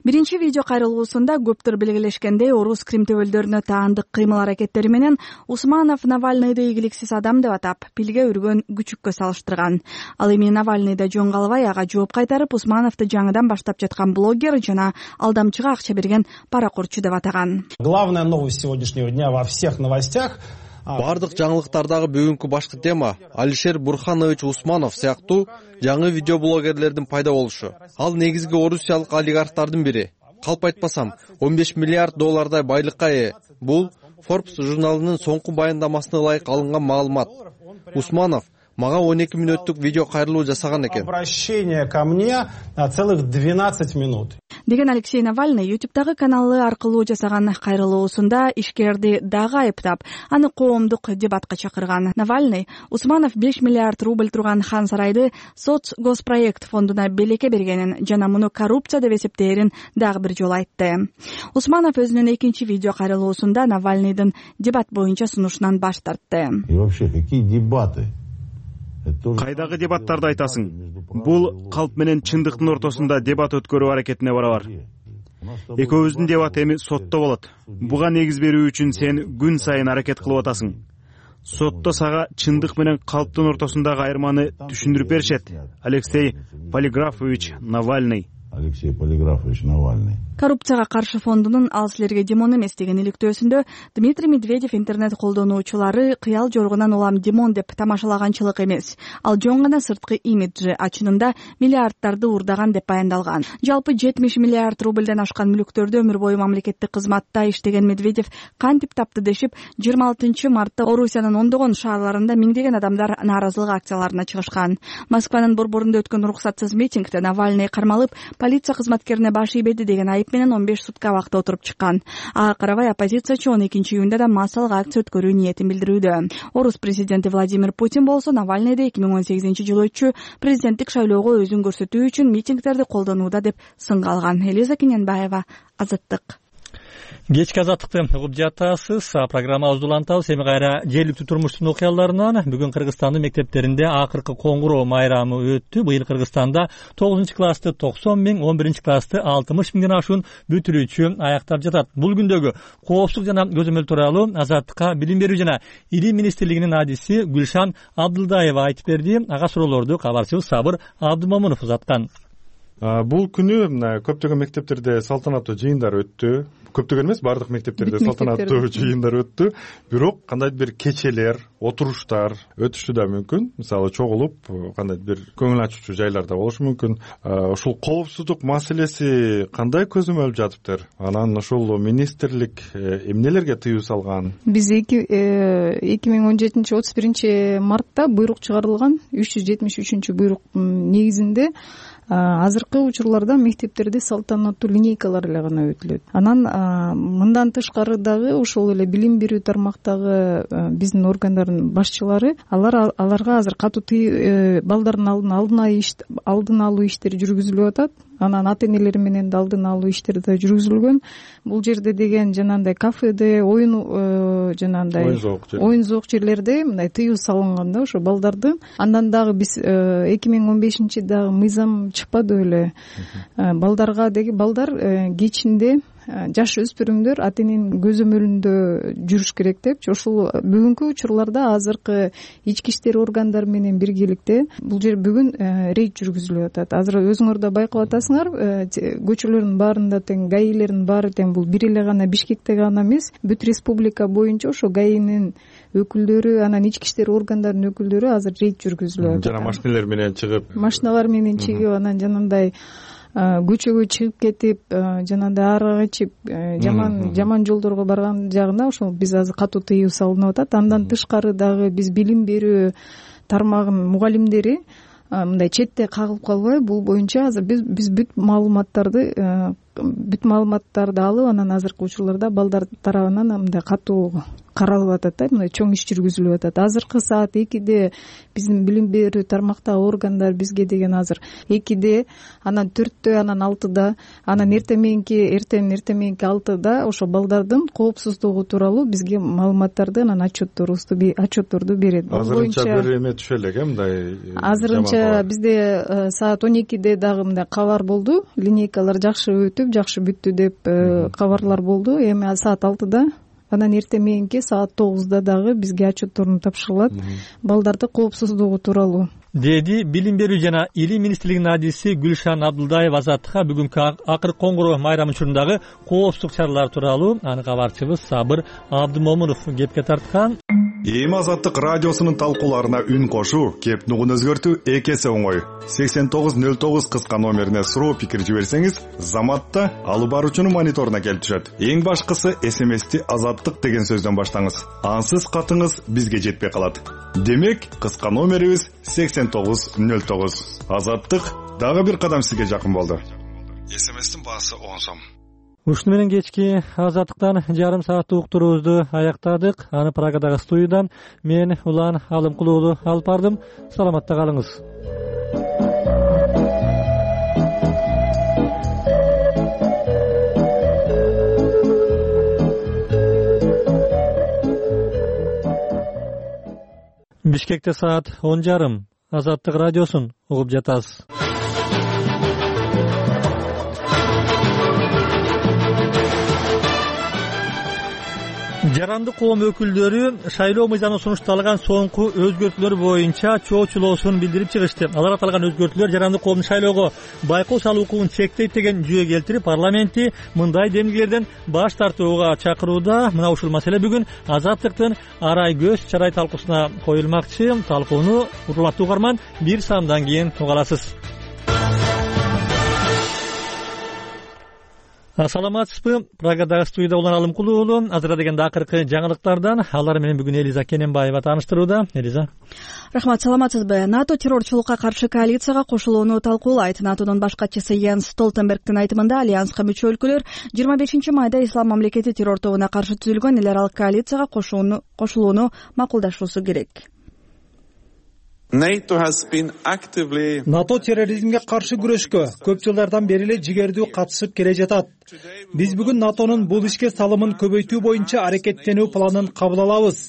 Биринчи видео кайрылуусунда көптөр белгилешкендей орус кримтөбөлдөрүнө таандык кыймыл аракеттери менен Усманов Навальныйды ийгиликсиз адам деп атап, пилге үргөн күчүккө салыштырган. Ал эми Навальныйда жөн калбай ага жооп кайтарып, Усмановду жаңыдан баштап жаткан блогер жана алдамчыга акча берген паракурчу деп атаган. Главная новость сегодняшнего дня во всех новостях. Бардык жаңылыктардагы бүгүнкү башкы тема Алишер Бурханович Усманов сыяктуу жаңы видеоблогерлердин пайда болушу. Ал негизги орусиялык олигархтардын бири. Калп айтпасам, 15 миллиард доллардай байлыкка ээ. Бул Forbes журналынын соңку баяндамасына ылайык алынган маалымат. Усманов мага 12 мүнөттүк видео кайрылуу жасаган экен. Обращение ко мне на целых 12 минут. деген Алексей Навальный YouTube'дагы каналы аркылуу жасаган кайрылуусунда ишкерди дагы айыптап, аны коомдук дебатка чакырган. Навальный Усманов 5 миллиард рубль турган Хан сарайды соцгоспроект фондуна белекке бергенин жана муну коррупция деп эсептээрин дагы бир жолу айтты. Усманов өзүнүн экинчи видео кайрылуусунда Навальныйдын дебат боюнча сунушунан баш тартты. И вообще, какие дебаты? Кайдагы дебаттарды айтасың? Бул калп менен чындыктын ортосунда дебат өткөрүү аракетине барабар. Экөөбүздүн дебат эми сотто болот. Буга негиз берүү үчүн сен күн сайын аракет кылып атасың. Сотто сага чындык менен калптын ортосундагы айырманы түшүндүрүп беришет. Алексей Полиграфович Навальный. Алексей Полиграфович Навальный. Коррупцияга каршы фондунун ал силерге Димон эмес деген иликтөөсүндө Дмитрий Медведев интернет колдонуучулары кыял жоргунан улам Димон деп тамашалаганчылык эмес, ал жон гана сырткы имиджи, ачынында миллиардтарды уурдаган деп баяндалган. Жалпы 70 миллиард рубльден ашкан мүлктөрдү өмүр бою мамлекеттик кызматта иштеген Медведев кантип тапты дешип, 26 мартта Орусиянын ондогон шаарларында миңдеген адамдар нааразылык акцияларына чыгышкан. Москванын борборунда өткөн уруксатсыз митингде Навальный кармалып, полиция кызматкерине баш ийбеди деген айып менен 15 сутка убакта отуруп чыккан. Ага карабай оппозициячы 12-июнда да массалык акция өткөрүү ниетин билдирүүдө. Орус президенти Владимир Путин болсо Навальныйды 2018-жылы өтчү президенттик шайлоого өзүн көрсөтүү үчүн митингдерди колдонууда деп сынга алган. Элиза Кененбаева, Азаттык. Кечки азаттыкты угуп жатасыз. Программабызды улантабыз. Эми кайра жергиликтүү турмуштун окуяларынан. Бүгүн Кыргызстандын мектептеринде акыркы коңгуроо майрамы өттү. Быйыл Кыргызстанда 9-классты 90 миң, 11-классты 60 миңден ашуун бүтүрүүчү аяктап жатат. Бул күндөгү коопсуздук жана көзөмөл тууралуу Азаттыкка билим берүү жана илим министрлигинин адиси Гүлшан Абдылдаева айтып берди. Ага суроолорду кабарчыбыз Сабыр Абдымомунов узаткан. Бул күнү көптөгөн мектептерде салтанаттуу жыйындар өттү. Көптөгөн эмес, бардык мектептерде салтанаттуу жыйындар өттү. Бирок кандайдыр бир кечелер, отуруштар өтүшү да мүмкүн. Мисалы чогулуп, кандайдыр бир көңүл ачуучу жайларда болушу мүмкүн. Ушул коопсуздук маселеси кандай көзөмөлүп жатыптыр? Анан ушул министрлик эмнелерге тыюу салган? Биз 2017-31 мартта буйрук чыгарылган, 373 буйрук негизинде азыркы учурларда мектептерде салтанаттуу линейкалар эле гана өтүлөт. Анан мындан тышкары дагы ошол эле билим берүү тармактагы биздин органдардын башчылары аларга азыр катуу балдардын алдын алуу иштери жүргүзүлүп атат. Анан ата энелери менен да алдын алуу иштери да жүргүзүлгөн. Бул жерде деген жанагындай кафеде, оюн зоок жерлерде мындай тыюу салынган да ошо балдарды. Андан дагы биз 2015 дагы мыйзам чыкпады беле. Балдар кечинде жаш өспүрүмдөр ата эненин көзөмөлүндө жүрүш керек депчи. Ошол бүгүнкү учурларда азыркы ички иштер органдары менен биргеликте бул жер бүгүн рейд жүргүзүлүп атат. Азыр өзүңөр да байкап атасыңар, көчөлөрдүн баарында тең гаилердин баары тең бул бир эле гана Бишкекте гана эмес, бүт республика боюнча ошо гаинин өкүлдөрү, анан ички иштер органдарынын өкүлдөрү азыр рейд жүргүзүлүп атат. Жана машиналар менен чыгып, анан жанагындай көчөгө чыгып кетип, жанагындай аарак ичип, жаман жолдорго барган жагына ошол биз азыр катуу тыюу салынып атат. Андан тышкары дагы биз билим берүү тармагынын мугалимдери мындай четте кагылып калбай, бул боюнча азыр биз бүт маалыматтарды алып, анан азыркы учурларда балдар тарабынан мындай катуу каралып атат да, мындай чоң иш жүргүзүлүп атат. Азыркы саат 2-де биздин билим берүү тармактагы органдар бизге деген азыр 2-де, анан 4-тө, анан 6-да, анан эртең мененки 6-да ошо балдардын коопсуздугу тууралуу бизге маалыматтарды, анан отчетторду берет. Азырынча бир эме түшө элек, мындай. Азырынча бизде саат 12-де дагы мындай кабар болду. Линейкалар жакшы өтүп, жакшы бүттү деп кабарлар болду. Эми саат 6-да, анан эртең мененки саат 9-да дагы бизге отчетторун тапшырылат балдарды коопсуздугу тууралуу, деди билим берүү жана илим министрлигинин адиси Гүлшан Абдылдаева Азаттыкка бүгүнкү акыркы коңгуроо майрамы учурундагы коопсуздук чаралар тууралуу аны кабарчыбыз Сабыр Абдымомунов кепке тарткан. Эми Азаттык радиосунун талкууларына үн кошуу, кеп нугун өзгөртүү эки эсе оңой. 8909 кыска номерине суроо пикир жиберсеңиз, Заматта алып баруучунун мониторуна келип түшөт. Эң башкысы СМСти Азаттык деген сөздөн баштаңыз. Ансыз катыңыз бизге жетпей калат. Демек, кыска номерибиз 8909. Азаттык дагы бир кадам сизге жакын болду. СМСтин баасы 10 сом. Ушуну менен кечки Азаттыктан жарым сааттык уктуруубузду аяктадык. Аны Прагадагы студиядан мен Улан Алымкул уулу алып бардым. Саламатта калыңыз. Бишкекте саат 10:30. Азаттык радиосун угуп жатасыз. Жарандык коом өкүлдөрү шайлоо мыйзамы сунушталган соңку өзгөртүүлөр боюнча чоочулоосун билдирип чыгышты. Алар аталган өзгөртүүлөр жарандык коомдун шайлоого байкоо салуу укугун чектейт деген жүйө келтирип, парламентти мындай демгилерден баш тартууга чакырууда. Мына ушул маселе бүгүн Азаттыктын арай көз чарай талкуусуна коюлмакчы. Талкууну урматтуу угарман бир сандан кийин уга аласыз. Саламатсызбы? Прагадагы студияда Улан Алымкул уулу. Азыр дегенде акыркы жаңылыктардан алар менен бүгүн Элиза Кененбаева тааныштырууда. Элиза. Рахмат, саламатсызбы? НАТО террорчулукка каршы коалицияга кошулууну талкуулайт. НАТОдун баш катчысы Йенс Столтенбергдин айтымында альянска мүчө өлкөлөр 25 майда Ислам мамлекети террор тобуна каршы түзүлгөн эл аралык коалицияга кошулууну макулдашуусу керек. НАТО терроризмге каршы күрөшкө көп жылдардан бери эле жигердүү катышып келе жатат. Биз бүгүн НАТОнун бул ишке салымын көбөйтүү боюнча аракеттенүү планын кабыл алабыз.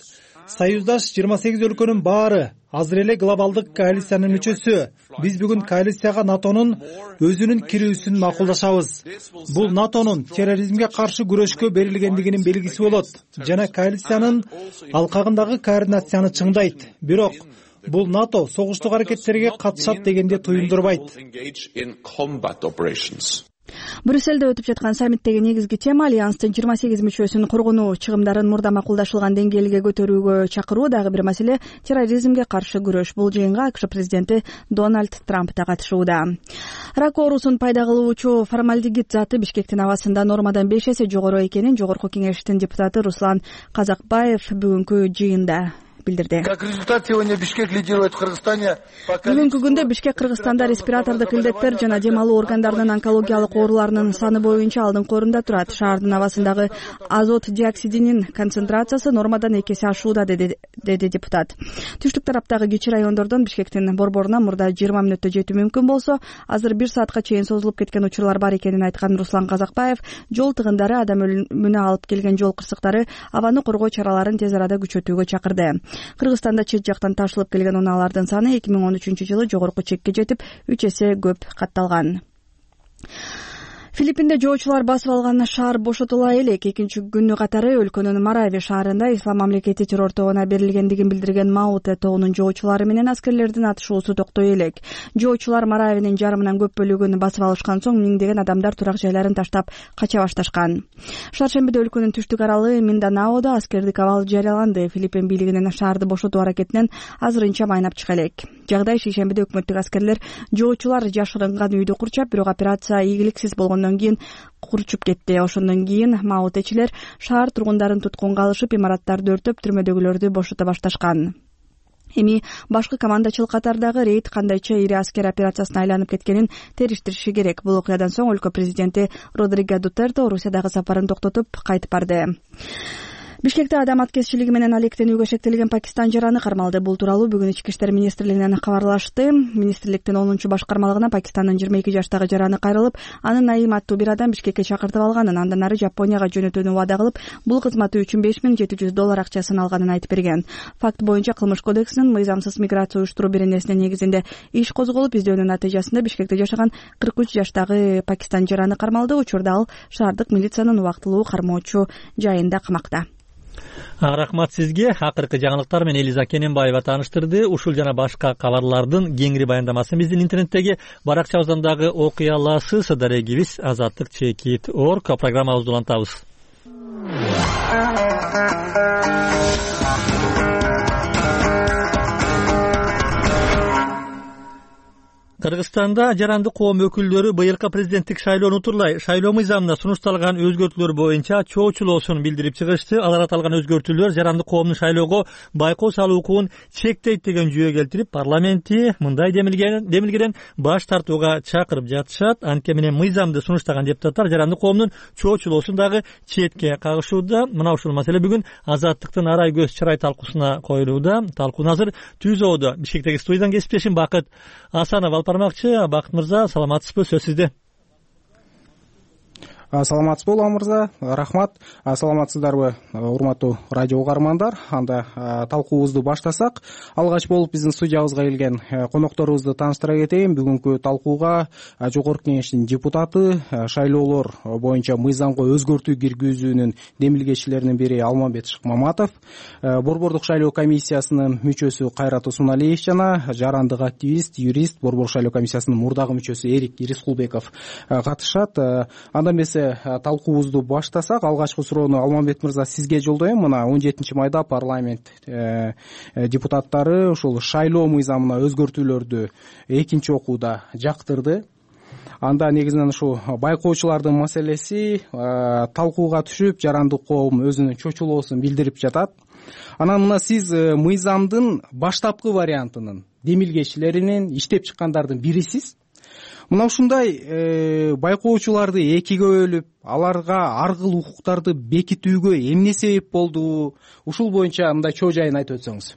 Союздаш 28 өлкөнүн баары азыр эле глобалдык коалициянын мүчөсү. Биз бүгүн коалицияга НАТОнун өзүнүн кирүүсүн макулдашабыз. Бул НАТОнун терроризмге каршы күрөшкө берилгендигинин белгиси болот жана коалициянын алкагындагы координацияны чыңдайт. Бирок бул НАТО согуштук аракеттерге катышат дегенде туюндурбайт. Брюсселде өтүп жаткан саммиттеги негизги тема альянстын 28 мүчөсүн коргонуу чыгымдарын мурда макулдашылган деңгээлге көтөрүүгө чакыруу. Дагы бир маселе терроризмге каршы күрөш. Бул жыйынга АКШ президенти Дональд Трамп да катышууда. Рак оорусун пайда кылуучу формальдегид заты Бишкектин абасында нормадан 5 эсе жогору экенин Жогорку кеңештин депутаты Руслан Казакбаев бүгүнкү жыйында билдирди. Как результат, сегодня Бишкек лидирует в Кыргызстане. Бүгүнкү күндө Бишкек Кыргызстанда респиратордук илдеттер жана дем алуу органдарынын онкологиялык ооруларынын саны боюнча алдыңкы орунда турат. Шаардын абасындагы азот диоксидинин концентрациясы нормадан 2 эсе ашууда, деди депутат. Түштүк тараптагы кичи райондордон Бишкектин борборуна мурда 20 мүнөттө жетүү мүмкүн болсо, азыр 1 саатка чейин созулуп кеткен учурлар бар экенин айткан Руслан Казакбаев, жол тыгындары, адам өлүмүнө алып келген жол кырсыктары, абаны коргоо чараларын тез арада күчөтүүгө чакырды. Кыргызстанда чет жактан ташылып келген унаалардын саны 2013-жылы жогорку чекке жетип 3 эсе көп катталган. Филиппинде жоочулар басып алган шаар бошотула элек. Экинчи күнү катары өлкөнүн Марави шаарында Ислам мамлекети террор тобуна берилгендигин билдирген Мауте тоонун жоочулары менен аскерлердин атышуусу токтой элек. Жоочулар Маравинин жарымынан көп бөлүгүн басып алышкан соң миңдеген адамдар турак жайларын таштап кача башташкан. Шаршембиде өлкөнүн түштүк аралы Минданаодо аскердик абал жарыяланды. Филиппин бийлигинин шаарды бошотуу аракетинен азырынча майнап чыга элек. Жагдай шейшембиде өкмөттүк аскерлер жоочулар жашырынган үйдү курчап, бирок операция ийгиликсиз болгондон кийин курчуп кетти. Ошондон кийин маутечилер шаар тургундарын туткунга алышып, имараттарды өртөп, түрмөдөгүлөрдү бошото башташкан. Эми башкы командачылык катардагы рейд кандайча ири аскер операциясына айланып кеткенин териштириши керек. Бул окуядан соң өлкө президенти Родриго Дутерте Орусиядагы сапарын токтотуп кайтып барды. Бишкекте адам аткезчилиги менен алектенүүгө шектелген Пакистан жараны кармалды. Бул тууралуу бүгүн Ички иштер министрлигинен кабарлашты. Министрликтин 10-баш кармалыгына Пакистандын 22 жаштагы жараны кайрылып, аны Наим аттуу бир адам Бишкекке чакыртып алганын, андан ары Жапонияга жөнөтүүнү убада кылып, бул кызматы үчүн $5700 акчасын алганын айтып берген. Факт боюнча Кылмыш кодексинин мыйзамсыз миграция уюштуруу беренесинин негизинде иш козголуп, издөөнүн натыйжасында Бишкекте жашаган 43 жаштагы Пакистан жараны кармалды. Учурда ал шаардык милициянын убактылуу кармоочу жайында камакта. Рахмат сизге. Акыркы жаңылыктар менен Элиза Кененбаева тааныштырды. Ушул жана башка кабарлардын кеңири баяндамасын биздин интернеттеги баракчабыздан дагы окуй аласыз. Дарегибиз azatlyk.org программабызды улантабыз. Кыргызстанда жарандык коом өкүлдөрү быйылкы президенттик шайлоону утурлай шайлоо мыйзамына сунушталган өзгөртүүлөр боюнча чоочулоосун билдирип чыгышты. Алар аталган өзгөртүүлөр жарандык коомдун шайлоого байкоо салуу укугун чектейт деген жүйө келтирип, парламентти мындай демилгеден баш тартууга чакырып жатышат. Анткени менен мыйзамды сунуштаган депутаттар жарандык коомдун чоочулоосун дагы четке кагышууда. Мына ушул маселе бүгүн Азаттыктын арай көз чырай талкуусуна коюлууда. Талкууну азыр Түзөөдө Бишкектеги студиядан кесиптешим Бакыт Асанов алып бармакчы. Бакыт мырза, саламатсызбы? Сөз сизде. Саламатсызбы Улам мырза, рахмат. Саламатсыздарбы урматтуу радио угармандар? Анда талкуубузду баштасак, алгач болуп биздин студиябызга келген конокторубузду тааныштыра кетейин. Бүгүнкү талкууга Жогорку Кеңештин депутаты, шайлоолор боюнча мыйзамга өзгөртүү киргизүүнүн демилгечилеринин бири Алмамбет Шыкмаматов, Борбордук шайлоо комиссиясынын мүчөсү Кайрат Усмоналиев жана жарандык активист, юрист, Борбордук шайлоо комиссиясынын мурдагы мүчөсү Эрик Ирискулбеков катышат. Андан эмесе талкуубузду баштасак, алгачкы суроону Алмамбет мырза сизге жолдоем. Мына 17 майда парламент депутаттары ушул шайлоо мыйзамына өзгөртүүлөрдү экинчи окууда жактырды. Анда негизинен ушу байкоочулардын маселеси талкууга түшүп, жарандык коом өзүнүн чочулоосун билдирип жатат. Анан мына сиз мыйзамдын баштапкы вариантынын демилгечилеринин иштеп чыккандардын бирисиз. Мына ушундай байкоочуларды экиге бөлүп, аларга ар кыл укуктарды бекитүүгө эмне себеп болду? Ушул боюнча мындай чоо жайын айтып өтсөңүз.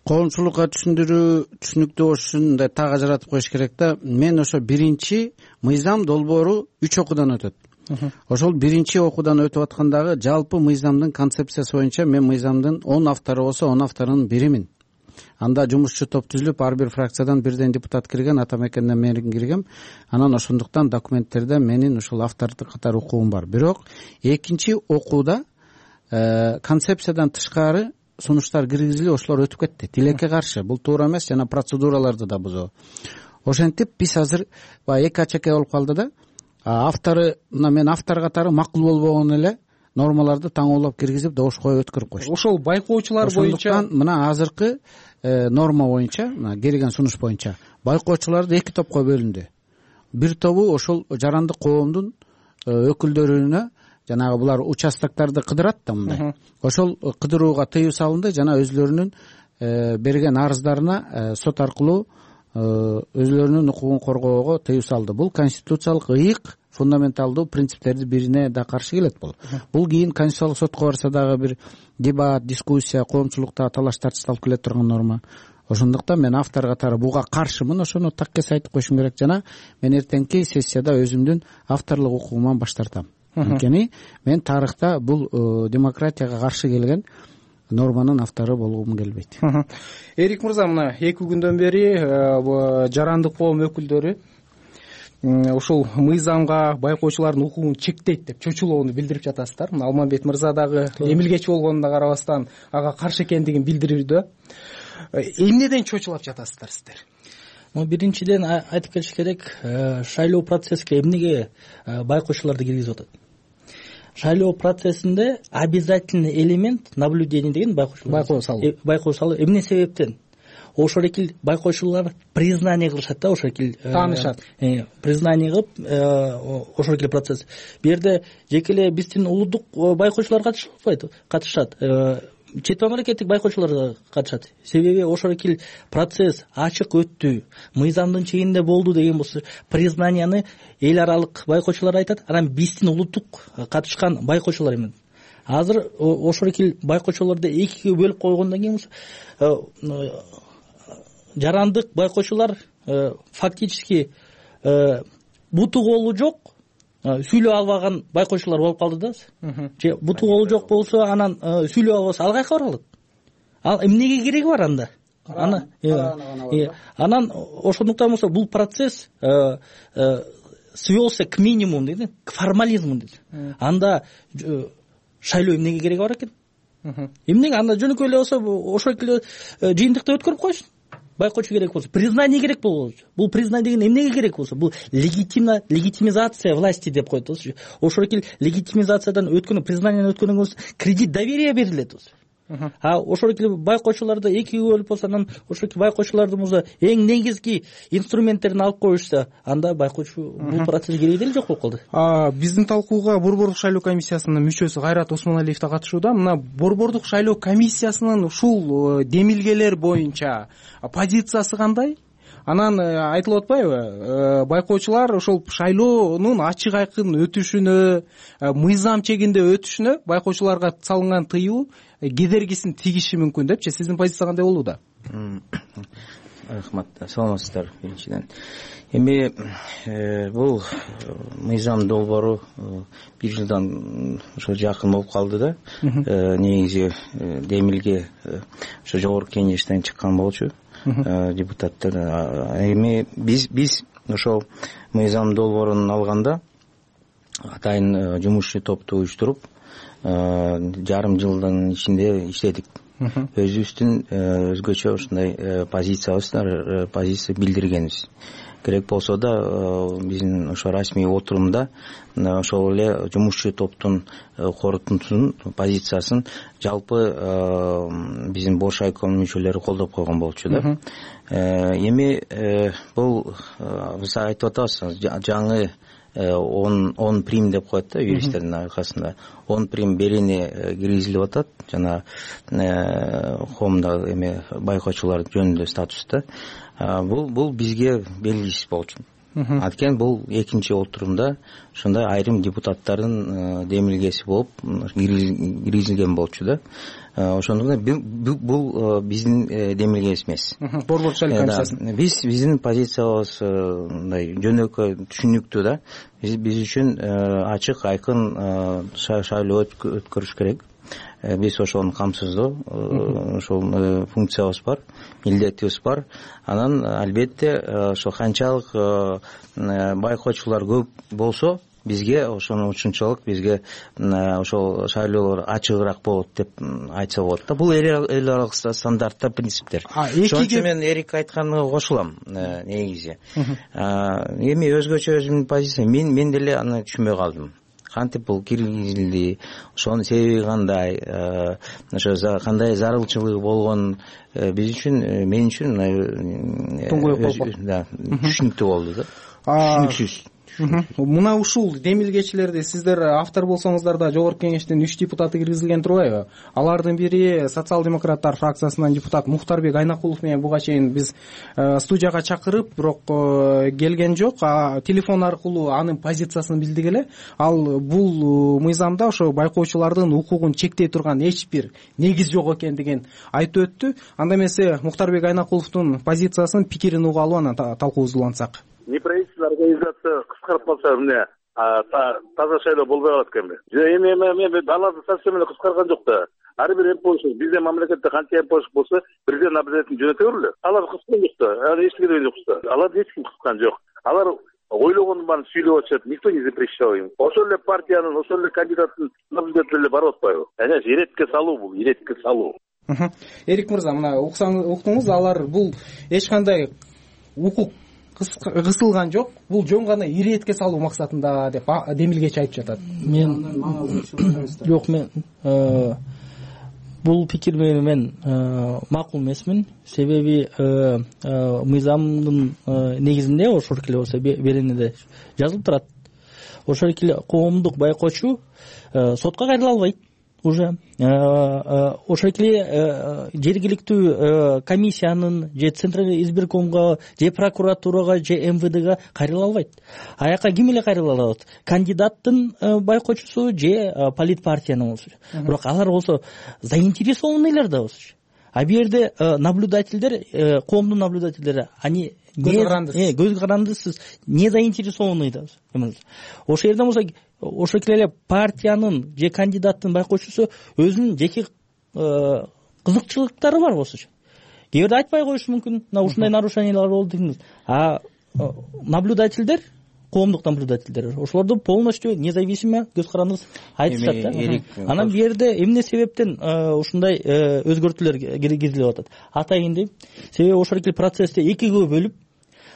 Коомчулукка түшүнүктүү болуш үчүн мындай так ажыратып коюш керек да. Мен ошо биринчи мыйзам долбоору 3 окуудан өтөт. Ошол биринчи окуудан өтүп аткандагы жалпы мыйзамдын концепциясы боюнча мен мыйзамдын 10 автору болсо 10 авторунун биримин. Анда жумушчу топ түзүлүп, ар бир фракциядан бирден депутат кирген, атамекенден мен киргем. Анан ошондуктан документтерде менин ушул автордук катар укугум бар. Бирок экинчи окууда концепциядан тышкары сунуштар киргизилип, ошолор өтүп кетти. Тилекке каршы. Бул туура эмес, жана процедураларды да бузуу. Ошентип биз азыр эки ачаке болуп калды да. Автору, мына мен автор катары макул болбогон эле нормаларды таңоолоп киргизип, добуш коюп өткөрүп коюшту. Ошол байкоочулар боюнча, ошондуктан мына азыркы норма боюнча, мына келген сунуш боюнча байкоочуларды эки топко бөлүндү. Бир тобу ошол жарандык коомдун өкүлдөрүнө, жанагы булар участоктарды кыдырат да мындай. Ошол кыдырууга тыюу салынды жана өзлөрүнүн берген арыздарына сот аркылуу өзлөрүнүн укугун коргоого тыюу салды. Бул конституциялык ыйык, фундаменталдуу принциптердин бирине да каршы келет бул. Бул кийин конституциялык сотко барса дагы бир дебат, дискуссия, коомчулукта талаш тартыш алып келе турган норма. Ошондуктан мен автор катары буга каршымын. Ошону таккес айтып коюшум керек жана мен эртеңки сессияда өзүмдүн авторлук укугуман баш тартам. Анткени мен тарыхта бул демократияга каршы келген норманын автору болгум келбейт. Эрик мырза, мына 2 күндөн бери жарандык коом өкүлдөрү ушул мыйзамга байкоочулардын укугун чектейт деп чочулоону билдирип жатасыздар. Мына Алмамбет мырза дагы эмилгечи болгонуна карабастан ага каршы экендигин билдирүүдө. Эмнеден чочулап жатасыздар сиздер? Биринчиден айтып кетиш керек, шайлоо процесске эмнеге байкоочуларды киргизип атат? Шайлоо процессинде обязательный элемент наблюдение деген байкоо салуу. Эмне себептен? Ошол эки байкоочулар признание кылышат да, ошол эки таанышат. Признание кылып, ошол эки процесс. Бу жерде жеке эле биздин улуттук байкоочулар катышат. Чет мамлекеттик байкоочулар да катышат. Себеби ошол эки процесс ачык өттү, мыйзамдын чегинде болду деген болсо, признанияны эл аралык байкоочулар айтат, анан биздин улуттук катышкан байкоочулар эмес. Азыр ошол эки байкоочуларды экиге бөлүп койгондон кийин жарандык байкоочулар фактически буту колу жок, сүйлөй албаган байкоочулар болуп калды да. Же буту колу жок болсо, анан сүйлөй албаса ал кайка бара алат? Ал эмнеге кереги бар анда? Анан ошондуктан болсо бул процесс свелся к минимуму дейт, к формализму дейт. Анда шайлоо эмнеге кереги бар экен? Эмнеге анда жөнөкөй эле болсо ошол жыйынтыкты өткөрүп коюшун. Байкоочу керек болсо, признание керек болсо, бул признание деген эмнеге керек болсо, бул легитимизация власти деп коет. Ошол эки легитимизациядан өткөн, признаниядан өткөндөн кийин кредит доверия берилет. А ошол эле байкоочуларды экиге бөлүп болсо, анан ошол байкоочулардын эң негизги инструменттерин алып коюшса, анда байкоочу бул процесс кереги деле жок болуп калды. Биздин талкууга Борбордук шайлоо комиссиясынын мүчөсү Кайрат Осмоналиев да катышууда. Мына Борбордук шайлоо комиссиясынын ушул демилгелер боюнча позициясы кандай? Анан айтылып атпайбы, байкоочулар ошол шайлоонун ачык айкын өтүшүнө, мыйзам чегинде өтүшүнө байкоочуларга салынган тыюу кедергисин тийиши мүмкүн депчи. Сиздин позиция кандай болууда? Рахмат, саламатсыздар. Биринчиден эми бул мыйзам долбоору бир жылдан ошо жакын болуп калды да. Негизи демилге ошо жогорку кеңештен чыккан болчу депутаттар. Эми биз ошол мыйзам долбоорун алганда атайын жумушчу топту уюштуруп жарым жылдын ичинде иштедик. Өзүбүздүн өзгөчө ушундай позиция билдиргенбиз. Керек болсо да биздин ошо расмий отурумда ошол эле жумушчу топтун корутундусун позициясын жалпы биздин бош айком мүчөлөрү колдоп койгон болчу да. Эми бул биз айтып атабыз, жаңы 10 прим деп коет да юристтердин аркасында. 10 прим берени киргизилип атат жана коомдо эми байкоочулар жөнүндө статуста. Бул бизге белгисиз болчу. Анткени бул экинчи отурумда ушундай айрым депутаттардын демилгеси болуп киргизилген болчу да. Ошондуктан бул биздин демилгебиз эмес. Борбордук шайлоо комиссиясы. Биздин позициябыз мындай жөнөкөй, түшүнүктүү да. Биз үчүн ачык, айкын шайлоо өткөрүш керек. Биз ошону камсыздоо, ошол функциябыз бар, милдетибиз бар. Анан албетте ошо канчалык байкоочулар көп болсо, бизге ошончолук бизге ошол шайлоолор ачыгыраак болот деп айтса болот да. Бул эл аралык стандарттар, принциптер. Ошон үчүн мен Эрик айтканына кошулам негизи. Эми өзгөчө өзүмдүн позициям, мен деле аны түшүнбөй калдым. Кантип бул киргизилди, ошонун себеби кандай, ошо кандай зарылчылыгы болгон биз үчүн, мен үчүн түшүнүктүү болду да. Түшүнүксүз. Мына ушул демилгечилерди сиздер автор болсоңуздар да жогорку кеңештин 3 депутаты киргизилген турбайбы? Алардын бири социал-демократтар фракциясынан депутат Мухтарбек Айнакулов менен буга чейин биз студияга чакырып, бирок келген жок. Телефон аркылуу анын позициясын билдик эле. Ал бул мыйзамда ошо байкоочулардын укугун чектей турган эч бир негиз жок экендигин айтып өттү. Анда эмесе Мухтарбек Айнакуловдун позициясын, пикирин угуп алып анан талкуубузду улантсак. Неправительственная организация кыскарып калса эмне таза шайлоо болбой калат экенби? Эми аларды совсем эле кыскарган жок да. Ар бир эмпошк биздин мамлекетте канча эмпошк болсо, президент обязательно жөнөтө бербеле. Алар кыскан жок да. Аны эч керек жок да. Аларды эч ким кыскан жок. Алар ойлогонун баарын сүйлөп атышат. Никто не запрещал им. Ошол эле партиянын, ошол эле кандидаттын наблюдатель барып атпайбы? Иретке салуу бул, иретке салуу. Эрик мырза, мына уктуңуз, алар бул эч кандай укук кысылган жок, бул жөн гана иретке салуу максатында деп демилгечи айтып жатат. Мен бул пикир менен макул эмесмин. Себеби мыйзамдын негизинде ошол эле болсо беренеде жазылып турат. Ошол эле коомдук байкоочу сотко кайрыла албайт. Уже ошол эле жергиликтүү комиссиянын же центральный избиркомго же прокуратурага же МВДга кайрыла албайт. Аяка ким эле кайрыла алат? Кандидаттын байкоочусу же политпартиянын болсо. Бирок алар болсо заинтересованныйлар да болсо. А бул жерде наблюдательдер, коомдун наблюдательдери, они көз карандысыз, не заинтересованный да. Ошол жерден болсо ошол эле партиянын же кандидаттын байкоочусу өзүнүн жеке кызыкчылыктары бар болсо, кээ бирде айтпай коюшу мүмкүн. Ушундай нарушениялар болду дейбиз. А наблюдательдер, коомдук наблюдательдер, ошолорду полностью независимо көз карандысыз айтышат да. Анан бул жерде эмне себептен ушундай өзгөртүүлөр киргизилип атат? Атайын дейм. Себеби ошол эле процессти экиге бөлүп,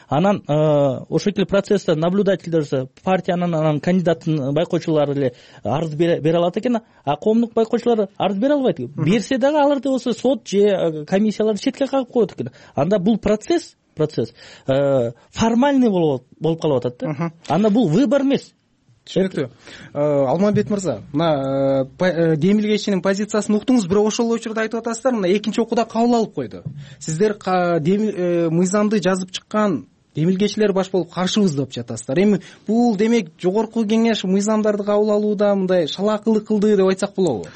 анан ошол эле процессте наблюдательдер партиянын анан кандидаттын байкоочулары эле арыз бере алат экен, а коомдук байкоочулар арыз бере албайт. Берсе дагы аларды болсо сот же комиссияларды четке кагып коет экен. Анда бул процесс формальный болуп калып атат да. Анда бул выбор эмес. Түшүнүктүү. Алмамбет мырза, мына демилгечинин позициясын уктуңуз, бирок ошол учурда айтып атасыздар, мына экинчи окууда кабыл алып койду. Сиздер мыйзамды жазып чыккан демилгечилер баш болуп каршыбыз деп жатасыздар. Эми бул демек жогорку кеңеш мыйзамдарды кабыл алууда мындай шалаакылык кылды деп айтсак болобу?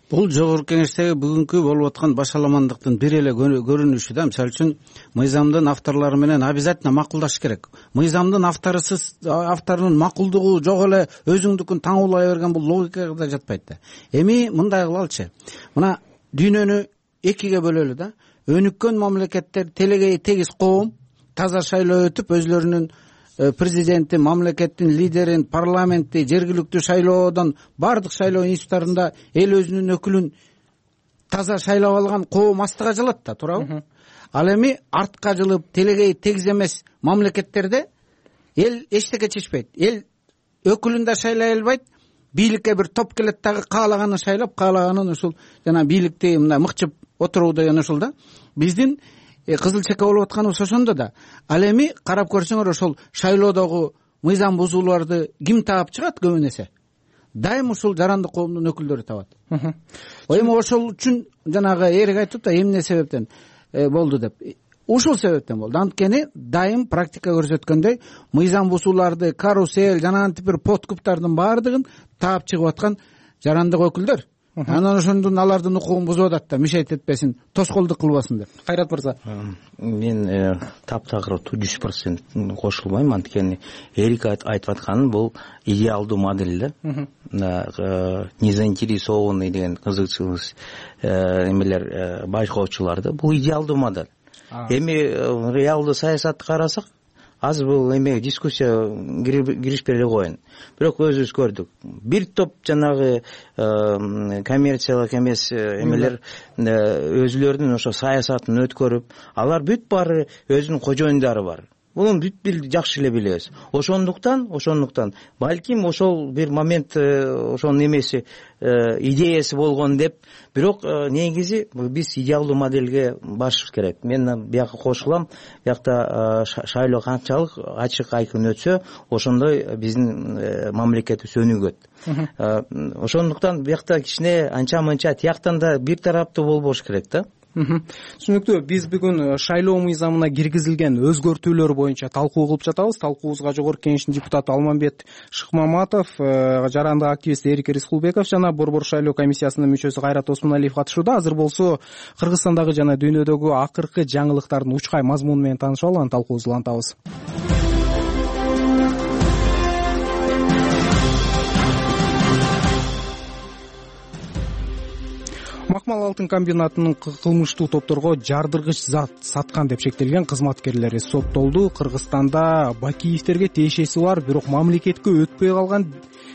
Бул жогорку кеңештеги бүгүнкү болуп аткан башаламандыктын бир эле көрүнүшү да. Мисалы үчүн мыйзамдын авторлору менен обязательно макулдаш керек. Мыйзамдын авторунун макулдугу жок эле өзүңдүкүн таңуулай берген бул логикага да жатпайт да. Эми мындай кылалычы. Мына дүйнөнү экиге бөлөлү да. Өнүккөн мамлекеттер телегей тегиз коом таза шайлоо өтүп өзлөрүнүн президенти, мамлекеттин лидерин, парламентти, жергиликтүү шайлоодон бардык шайлоо институттарында эл өзүнүн өкүлүн таза шайлап алган коом астыга жылат да, туурабы? Ал эми артка жылып телегей тегиз эмес мамлекеттерде эл эчтеке чечпейт. Эл өкүлүн да шайлай албайт. Бийликке бир топ келет дагы каалаганын шайлап, каалаганын ушул жана бийликти мындай мыкчып отуруу деген ушул да. Биздин кызыл чека болуп атканыбыз ошондо да. Ал эми карап көрсөңөр ошол шайлоодогу мыйзам бузууларды ким таап чыгат көбүн эсе? Дайым ушул жарандык коомдун өкүлдөрү табат. Эми ошол үчүн жанагы эрик айтып да эмне себептен болду деп. Ушул себептен болду. Анткени дайым практика көрсөткөндөй мыйзам бузууларды, карусель жана антип бир подкуптардын баардыгын таап чыгып аткан жарандык өкүлдөр. Анан ошондон алардын укугун бузуп атат да, мишайт этпесин, тоскоолдук кылбасын деп. Кайрат мырза. Мен таптагыр 100% кошулбайм, анткени Эрик айтып атканы бул идеалдуу модель да. Незаинтересованный деген кызыкчылык эмелер байкоочуларды, бул идеалдуу модель. Эми реалдуу саясатты карасак, азыр бул эме дискуссия киришпей эле коеюн. Бирок өзүбүз көрдүк. Бир топ жанагы коммерциялык эмес эмелер өзүлөрүнүн ошо саясатын өткөрүп, алар бүт баары өзүнүн кожоюндары бар. Муну бүт жакшы эле билебиз. Ошондуктан балким ошол бир момент ошонун эмеси идеясы болгон деп, бирок негизи биз идеалдуу модельге башыбыз керек. Мен бияка кошулам. Биякта шайлоо канчалык ачык айкын өтсө, ошондой биздин мамлекетибиз өнүгөт. Ошондуктан биякта кичине анча-мынча тияктан да бир тараптуу болбош керек да. Түшүнүктүү. Биз бүгүн шайлоо мыйзамына киргизилген өзгөртүүлөр боюнча талкуу кылып жатабыз. Талкуубузга жогорку кеңештин депутаты Алмамбет Шыкмаматов, жарандык активист Эрик Рыскулбеков жана Борбор шайлоо комиссиясынын мүчөсү Кайрат Осмоналиев катышууда. Азыр болсо Кыргызстандагы жана дүйнөдөгү акыркы жаңылыктардын учкай мазмуну менен таанышып алып, анан талкуубузду улантабыз. Макмал алтын комбинатынын кылмыштуу топторго жардыргыч зат саткан деп шектелген кызматкерлери соттолду. Кыргызстанда Бакиевтерге тиешеси бар, бирок мамлекетке өтпөй калган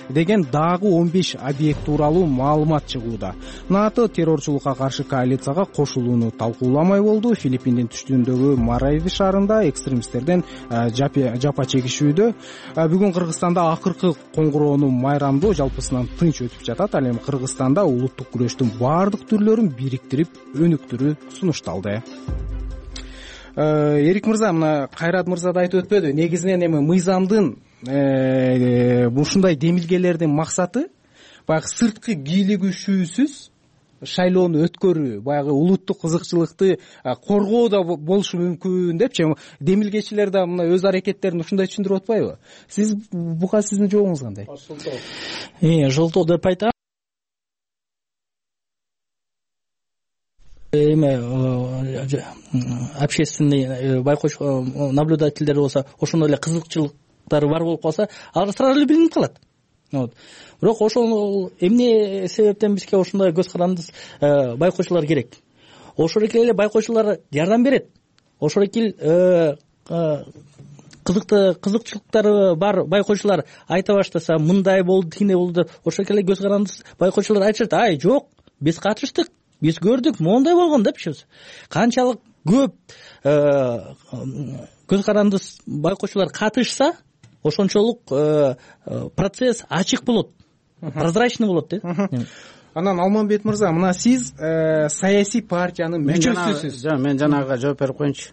деген дагы 15 объект тууралуу маалымат чыгууда. НАТО террорчулукка каршы коалицияга кошулууну талкууламай болду. Филиппиндин түштүгүндөгү Марави шаарында экстремисттерден жапа чегишүүдө. Бүгүн Кыргызстанда акыркы коңгуроонун майрамдоо жалпысынан тынч өтүп жатат. Ал эми Кыргызстанда улуттук күрөштүн баардык түрлөрүн бириктирип өнүктүрүү сунушталды. Эрик мырза, мына Кайрат мырза да айтып өтпөдү. Негизинен эми мыйзамдын ушундай демилгелердин максаты баягы сырткы кийлигишүүсүз шайлоону өткөрүү, баягы улуттук кызыкчылыкты коргоодо болушу мүмкүн депчи. Демилгечилер да мына өз аракеттерин ушундай түшүндүрүп атпайбы? Сиз буга сиздин жообуңуз кандай? Жолтоо деп айтам. Эме общественный байкоочу наблюдательдер болсо, ошондой эле кызыкчылыктары бар болуп калса, алар сразу эле билинип калат. Бирок ошол эмне себептен бизге ошондой көз карандысыз байкоочулар керек? Ошол эле байкоочулар жардам берет. Ошол эле кызыкчылыктары бар байкоочулар айта баштаса, мындай болду, тигиндей болду деп, ошол эле көз карандысыз байкоочулар айтышат: "Ай, жок, биз катыштык, биз көрдүк, моундай болгон" депчи. Канчалык көп көз каранды байкоочулар катышса ошончолук процесс ачык болот, прозрачный болот да. Анан Алмамбет мырза, мына сиз саясий партиянын мүчөсүсүз. Мен жанагыга жооп берип коеюнчу.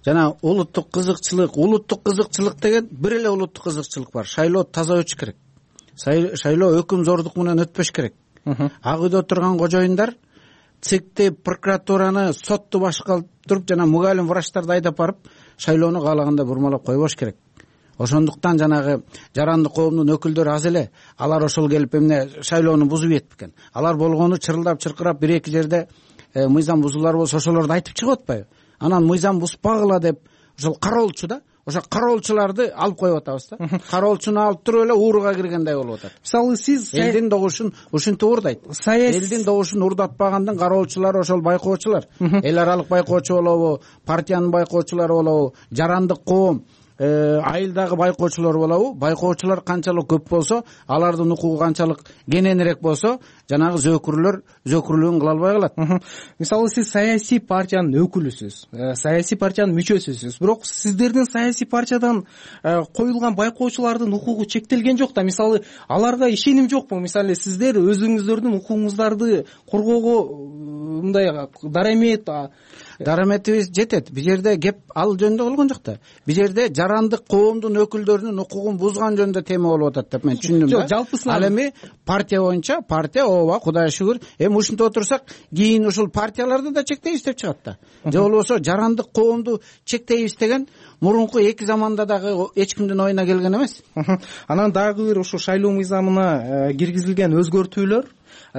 Жана улуттук кызыкчылык деген бир эле улуттук кызыкчылык бар. Шайлоо таза өтүш керек. Шайлоо өкүм зордук менен өтпөш керек. Ак үйдө отурган кожоюндар ЦИКти, прокуратураны, сотту башка алып туруп, жана мугалим врачтарды айдап барып, шайлоону каалаганда бурмалап койбош керек. Ошондуктан жанагы жарандык коомдун өкүлдөрү аз эле. Алар ошол келип эмне шайлоону бузуп ийет бекен. Алар болгону чырылдап чыркырап бир эки жерде мыйзам бузуулар болсо ошолорду айтып чыгып атпайбы? Анан мыйзам бузбагыла деп ошол кароолчу да, ошо кароолчуларды алып коюп атабыз да. Кароолчуну алып туруп эле ууруга киргендей болуп атат. Мисалы сиз элдин добушун ушинтип уурдайт. Элдин добушун уурдатпагандын кароолчулары ошол байкоочулар. Эл аралык байкоочу болобу, партиянын байкоочулары болобу, жарандык коом, айылдагы байкоочулар болобу, байкоочулар канчалык көп болсо, алардын укугу канчалык кененирээк болсо, жанагы зөөкүрлүгүн кыла албай калат. Мисалы сиз саясий партиянын өкүлүсүз, саясий партиянын мүчөсүсүз. Бирок сиздердин саясий партиядан коюлган байкоочулардын укугу чектелген жок да. Мисалы аларга ишеним жокпу? Мисалы сиздер өзүңүздөрдүн укугуңуздарды коргоого мындай дараметибиз жетет. Бул жерде кеп ал жөнүндө болгон жок да. Бул жерде жарандык коомдун өкүлдөрүнүн укугун бузган жөнүндө тема болуп атат деп мен түшүндүм да. Жалпысынан ал эми партия боюнча партия ооба, Кудайга шүгүр, эми ушинтип отурсак, кийин ушул партияларды да чектейбиз деп чыгат да. Же болбосо жарандык коомду чектейбиз деген мурунку эки заманда дагы эч кимдин оюна келген эмес. Анан дагы бир ушу шайлоо мыйзамына киргизилген өзгөртүүлөр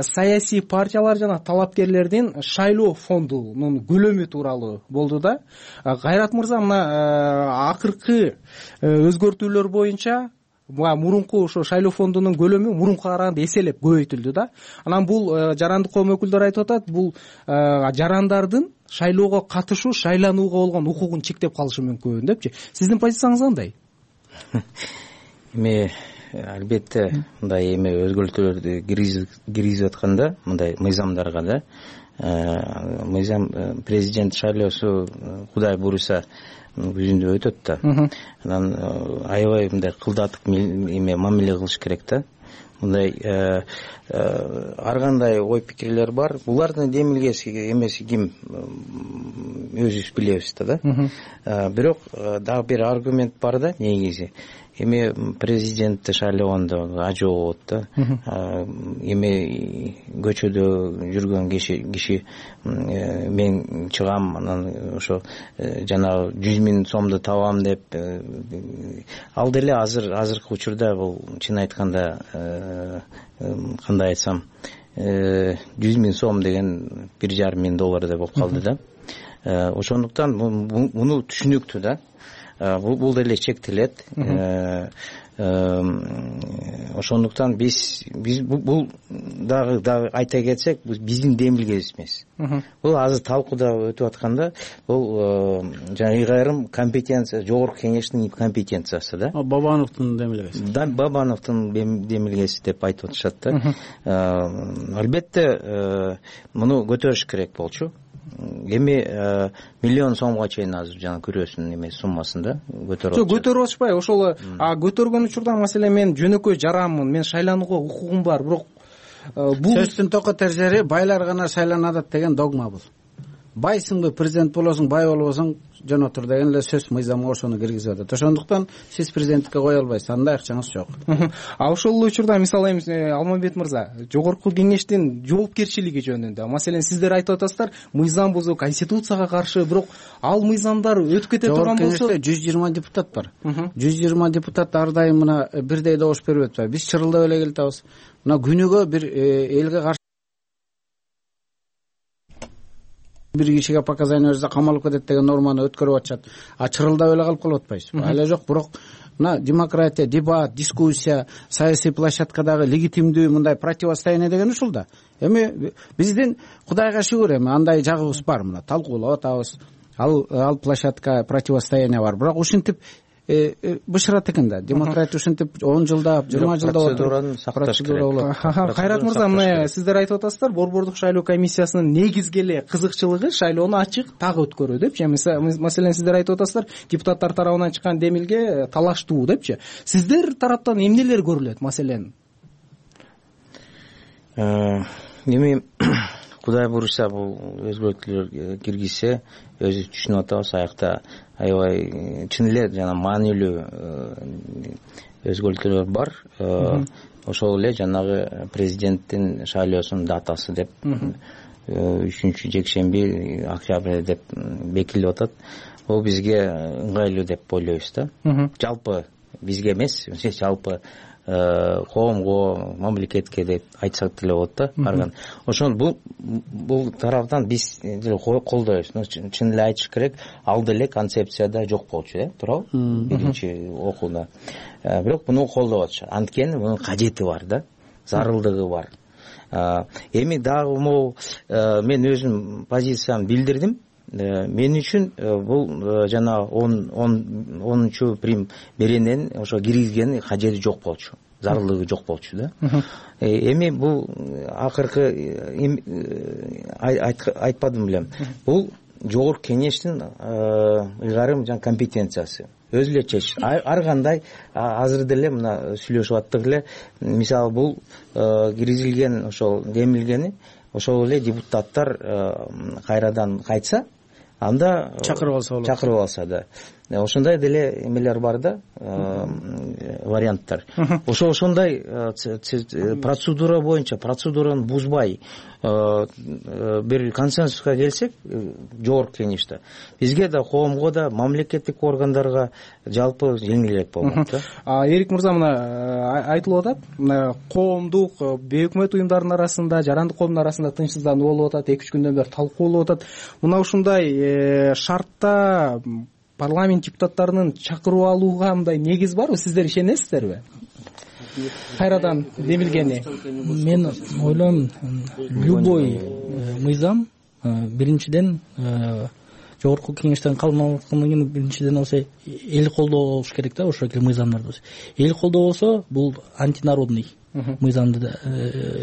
саясий партиялар жана талапкерлердин шайлоо фондунун көлөмү тууралуу болду да. Кайрат мырза, мына акыркы өзгөртүүлөр боюнча мурунку ошо шайлоо фондунун көлөмү мурункуга караганда эселеп көбөйтүлдү да. Анан бул жарандык коом өкүлдөрү айтып атат, бул жарандардын шайлоого катышуу, шайланууга болгон укугун чектеп калышы мүмкүн депчи. Сиздин позицияңыз кандай? Эми албетте мындай эми өзгөртүүлөрдү киргизип атканда мындай мыйзамдарга да, мыйзам президент шайлоосу Кудай буйруса жүзүндө өтөт да. Анан аябай мындай кылдатып эме мамиле кылыш керек да. Мындай ар кандай ой пикирлер бар. Булардын демилгеси эмеси ким, өзүбүз билебиз да. Бирок дагы бир аргумент бар да, негизи. Эми президентти шайлогондо ажоо болот да. Эми көчөдө жүргөн киши мен чыгам, анан ошо жанагы 100.000 сомду табам деп, ал деле азыркы учурда бул чын айтканда кандай айтсам, 100.000 сом деген $1,5 деп болуп калды да. Ошондуктан муну түшүнүктүү да. Бул деле чектелет. Ошондуктан биз бул дагы айта кетсек, биздин демилгебиз эмес. Бул азыр талкууда өтүп атканда, бул жана айрым компетенция, жогорку кеңештин компетенциясы да. Бабановдун демилгеси. Бабановдун демилгеси деп айтып атышат да. Албетте муну көтөрүш керек болчу. Эми $1 миллион сомго чейин азыр жана күрөөсүнүн эме суммасында көтөрүп атышат. Көтөрүп атышпай, ошол көтөргөн учурда маселе мен жөнөкөй жаранмын, мен шайланууга укугум бар, бирок бул сөздүн токот эржери байлар гана шайланат деген догма бул. Байсыңбы, президент болосуң, бай болбосуң, жөн отур деген эле сөз мыйзамга ошону киргизип атат. Ошондуктан сиз президенттикке кое албайсыз, андай акчаңыз жок. Ошол учурда мисалы Алмамбет мырза, жогорку кеңештин жоопкерчилиги жөнүндө, маселен сиздер айтып атасыздар, мыйзам бузуу, конституцияга каршы, бирок ал мыйзамдар өтүп кете турган болсо, кеңеште 120 депутат бар. 120 депутат ар дайым мына бирдей добуш берип атпайбы. Биз чырылдап эле келатабыз. Мына күнүгө бир элге каршы бир кишиге показания берсе камалып кетет деген норманы өткөрүп атышат. Чырылдап эле калып калып атпайбызбы? Ала жок, бирок мына демократия, дебат, дискуссия, саясий площадкадагы легитимдүү мындай противостояние деген ушул да. Эми биздин Кудайга шүгүр эми андай жагыбыз бар, мына талкуулап атабыз. Ал площадка противостояние бар. Бирок ушинтип бышырат экен да. Демократия ушинтип 10 жылдап, 20 жылдап процедураны сакташ керек. Кайрат мырза, мына сиздер айтып атасыздар, Борбордук шайлоо комиссиясынын негизги эле кызыкчылыгы шайлоону ачык так өткөрүү депчи. Маселен, сиздер айтып атасыздар, депутаттар тарабынан чыккан демилге талаштуу депчи. Сиздер тараптан эмнелер көрүлөт, маселен? Эми Кудай буюрса, бул өзгөртүүлөр киргизсе, өзү түшүнүп атабыз, аякта аябай чын эле жана маанилүү өзгөртүүлөр бар. Ошол эле жанагы президенттин шайлоосунун датасы деп 3-жекшемби октябрь деп бекитилип атат. Ол бизге ыңгайлуу деп ойлойбуз да. Жалпы бизге эмес, жалпы коомго, мамлекетке деп айтсак деле болот да. Барган. Ошон бул тараптан биз колдойбуз. Чын эле айтыш керек, ал деле концепцияда жок болчу, туурабы? Биринчи окууда. Бирок муну колдоп атышат. Анткени мунун кажети бар да, зарылдыгы бар. Эми дагы могу мен өзүм позициямды билдирдим. Мен үчүн бул жана 10 прим беренен ошо киргизген кажети жок болчу, зарылдыгы жок болчу да. Эми бул акыркы айтпадым белем. Бул жогорку кеңештин ыйгарым жана компетенциясы. Өзү эле чечишет. Ар кандай азыр деле мына сүйлөшүп аттык эле. Мисалы бул киргизилген ошол демилгени ошол эле депутаттар кайрадан кайтса, анда чакырып алса да. Ошондой деле эмелер бар да, варианттар. Ошондой процедура боюнча, процедураны бузбай бир консенсуска келсек, жогорку кеңеште бизге да, коомго да, мамлекеттик органдарга жалпы жеңилирээк болмок да. Эрик мырза, мына айтылып атат, мына коомдук, бейөкмөт уюмдардын арасында, жарандык коомдун арасында тынчсыздануу болуп атат, 2-3 күндөн бери талкуу болуп атат. Мына ушундай шартта парламент депутаттарынын чакырып алууга мындай негиз барбы? Сиздер ишенесиздерби? Кайрадан демилгени. Мен ойлойм, любой мыйзам биринчиден жогорку кеңештен калмагандан кийин биринчиден болсо эл колдоо болуш керек да, ошол мыйзамдарды. Эл колдоо болсо бул антинародный мыйзамды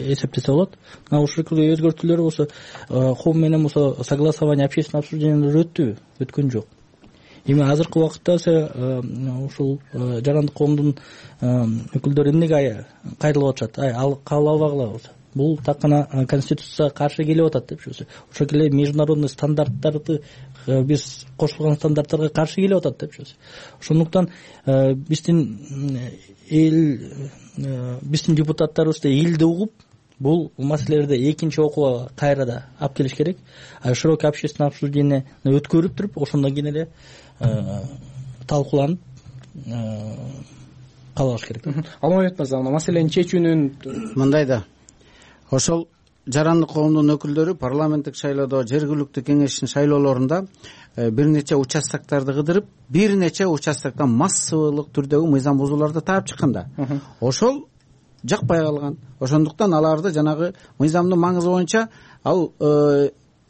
эсептесе болот. Мына ушул өзгөртүүлөр болсо коом менен болсо согласование, общественное обсуждениялар өттүбү? Өткөн жок. Эми азыркы убакытта ушул жарандык коомдун өкүлдөрү эмнеге кайрылып атышат? Ал кабыл албагыла болсо. Бул так гана конституцияга каршы келип атат деп. Ошол эле международный стандарттарды, биз кошулган стандарттарга каршы келип атат деп. Ошондуктан биздин депутаттарыбызды элди угуп, бул маселелерди экинчи окууга кайрада алып келиш керек. Широкий общественное обсуждение өткөрүп туруп, ошондон кийин эле талкууланып калыш керек. Алмамбет мырза, маселени чечүүнүн мындай да. Ошол жарандык коомдун өкүлдөрү парламенттик шайлоодо, жергиликтүү кеңештин шайлоолорунда бир нече участоктарды кыдырып, бир нече участоктон массалык түрдөгү мыйзам бузууларды таап чыкканда, ошол жакпай калган. Ошондуктан аларды жанагы мыйзамдын маңызы боюнча ал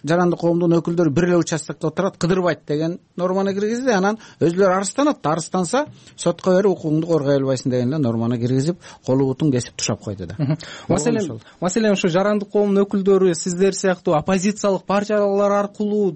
жарандык коомдун өкүлдөрү бир эле участокто отурат, кыдырбайт деген норманы киргизди. Анан өзүлөрү арызданат, арызданса сотко берип укугуңду коргой албайсың деген эле норманы киргизип, колу бутун кесип тушап койду да. Маселен ушу жарандык коомдун өкүлдөрү сиздер сыяктуу оппозициялык партиялар аркылуу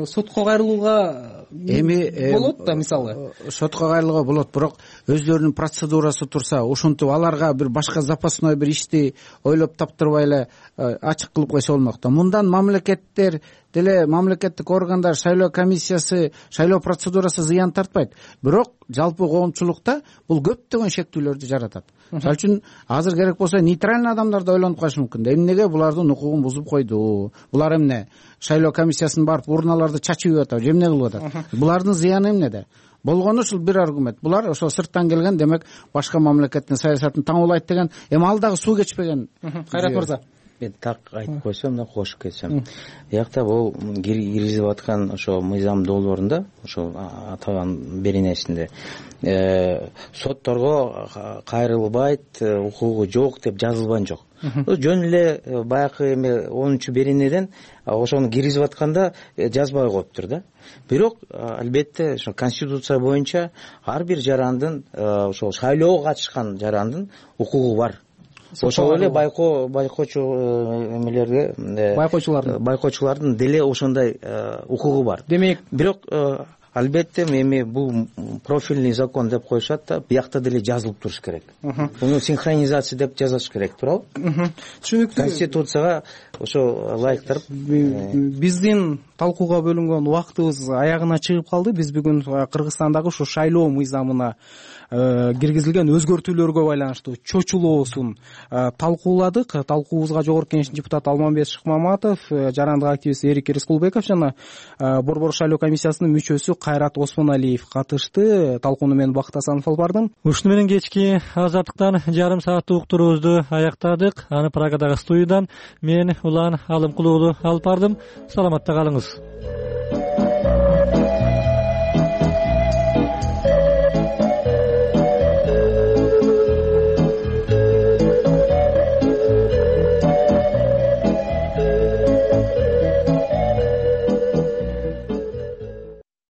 сотко кайрылууга болот да, мисалы. Сотко кайрылууга болот, бирок өзлөрүнүн процедурасы турса, ушинтип аларга бир башка запасной бир ишти ойлоп таптырбай эле ачык кылып койсо болмок да. Мындан мамлекеттер деле, мамлекеттик органдар, шайлоо комиссиясы, шайлоо процедурасы зыян тартпайт. Бирок жалпы коомчулукта бул көптөгөн шектүүлөрдү жаратат. Мисалы үчүн азыр керек болсо нейтральный адамдар да ойлонуп калышы мүмкүн. Эмнеге булардын укугун бузуп койду? Булар эмне? Шайлоо комиссиясын барып урналарды чачып атат, эмне кылып атат? Булардын зыяны эмнеде? Болгону ушул бир аргумент. Булар ошо сырттан келген, демек башка мамлекеттин саясатын таңуулайт деген. Эми ал дагы суу кечпеген. Кайрат мырза. мен так айтып койсом мына кошуп кетсем, биякта бул киргизип аткан ошо мыйзам долбоорунда ошол атаган беренесинде сотторго кайрылбайт, укугу жок деп жазылган жок. Жөн эле баягы эме 10 беренеден ошону киргизип атканда жазбай коюптур да. Бирок албетте ошо конституция боюнча ар бир жарандын ошол шайлоого катышкан жарандын укугу бар. Ошол эле байкоочу эмелерге байкоочулардын деле ошондой укугу бар. Демек, бирок албетте эми бул профильный закон деп коюшат да, биякта деле жазылып туруш керек. Муну синхронизация деп жазыш керек, туурабы? Түшүнүктүү. Конституцияга ошо ылайыктырып. Биздин талкууга бөлүнгөн убактыбыз аягына чыгып калды. Биз бүгүн Кыргызстандагы ушу шайлоо мыйзамына киргизилген өзгөртүүлөргө байланыштуу чочулоосун талкууладык. Талкуубузга Жогорку Кеңештин депутаты Алмамбет Шыкмаматов, жарандык активист Эрик Рыскулбеков жана Борбор шайлоо комиссиясынын мүчөсү Кайрат Осмоналиев катышты. Талкууну мен Бакыт Асанов алып бардым. Ушуну менен кечки азаттыктан жарым сааттык уктуруубузду аяктадык. Аны Прагадагы студиядан мен Улан Алымкулуулу алып бардым. Саламатта калыңыз.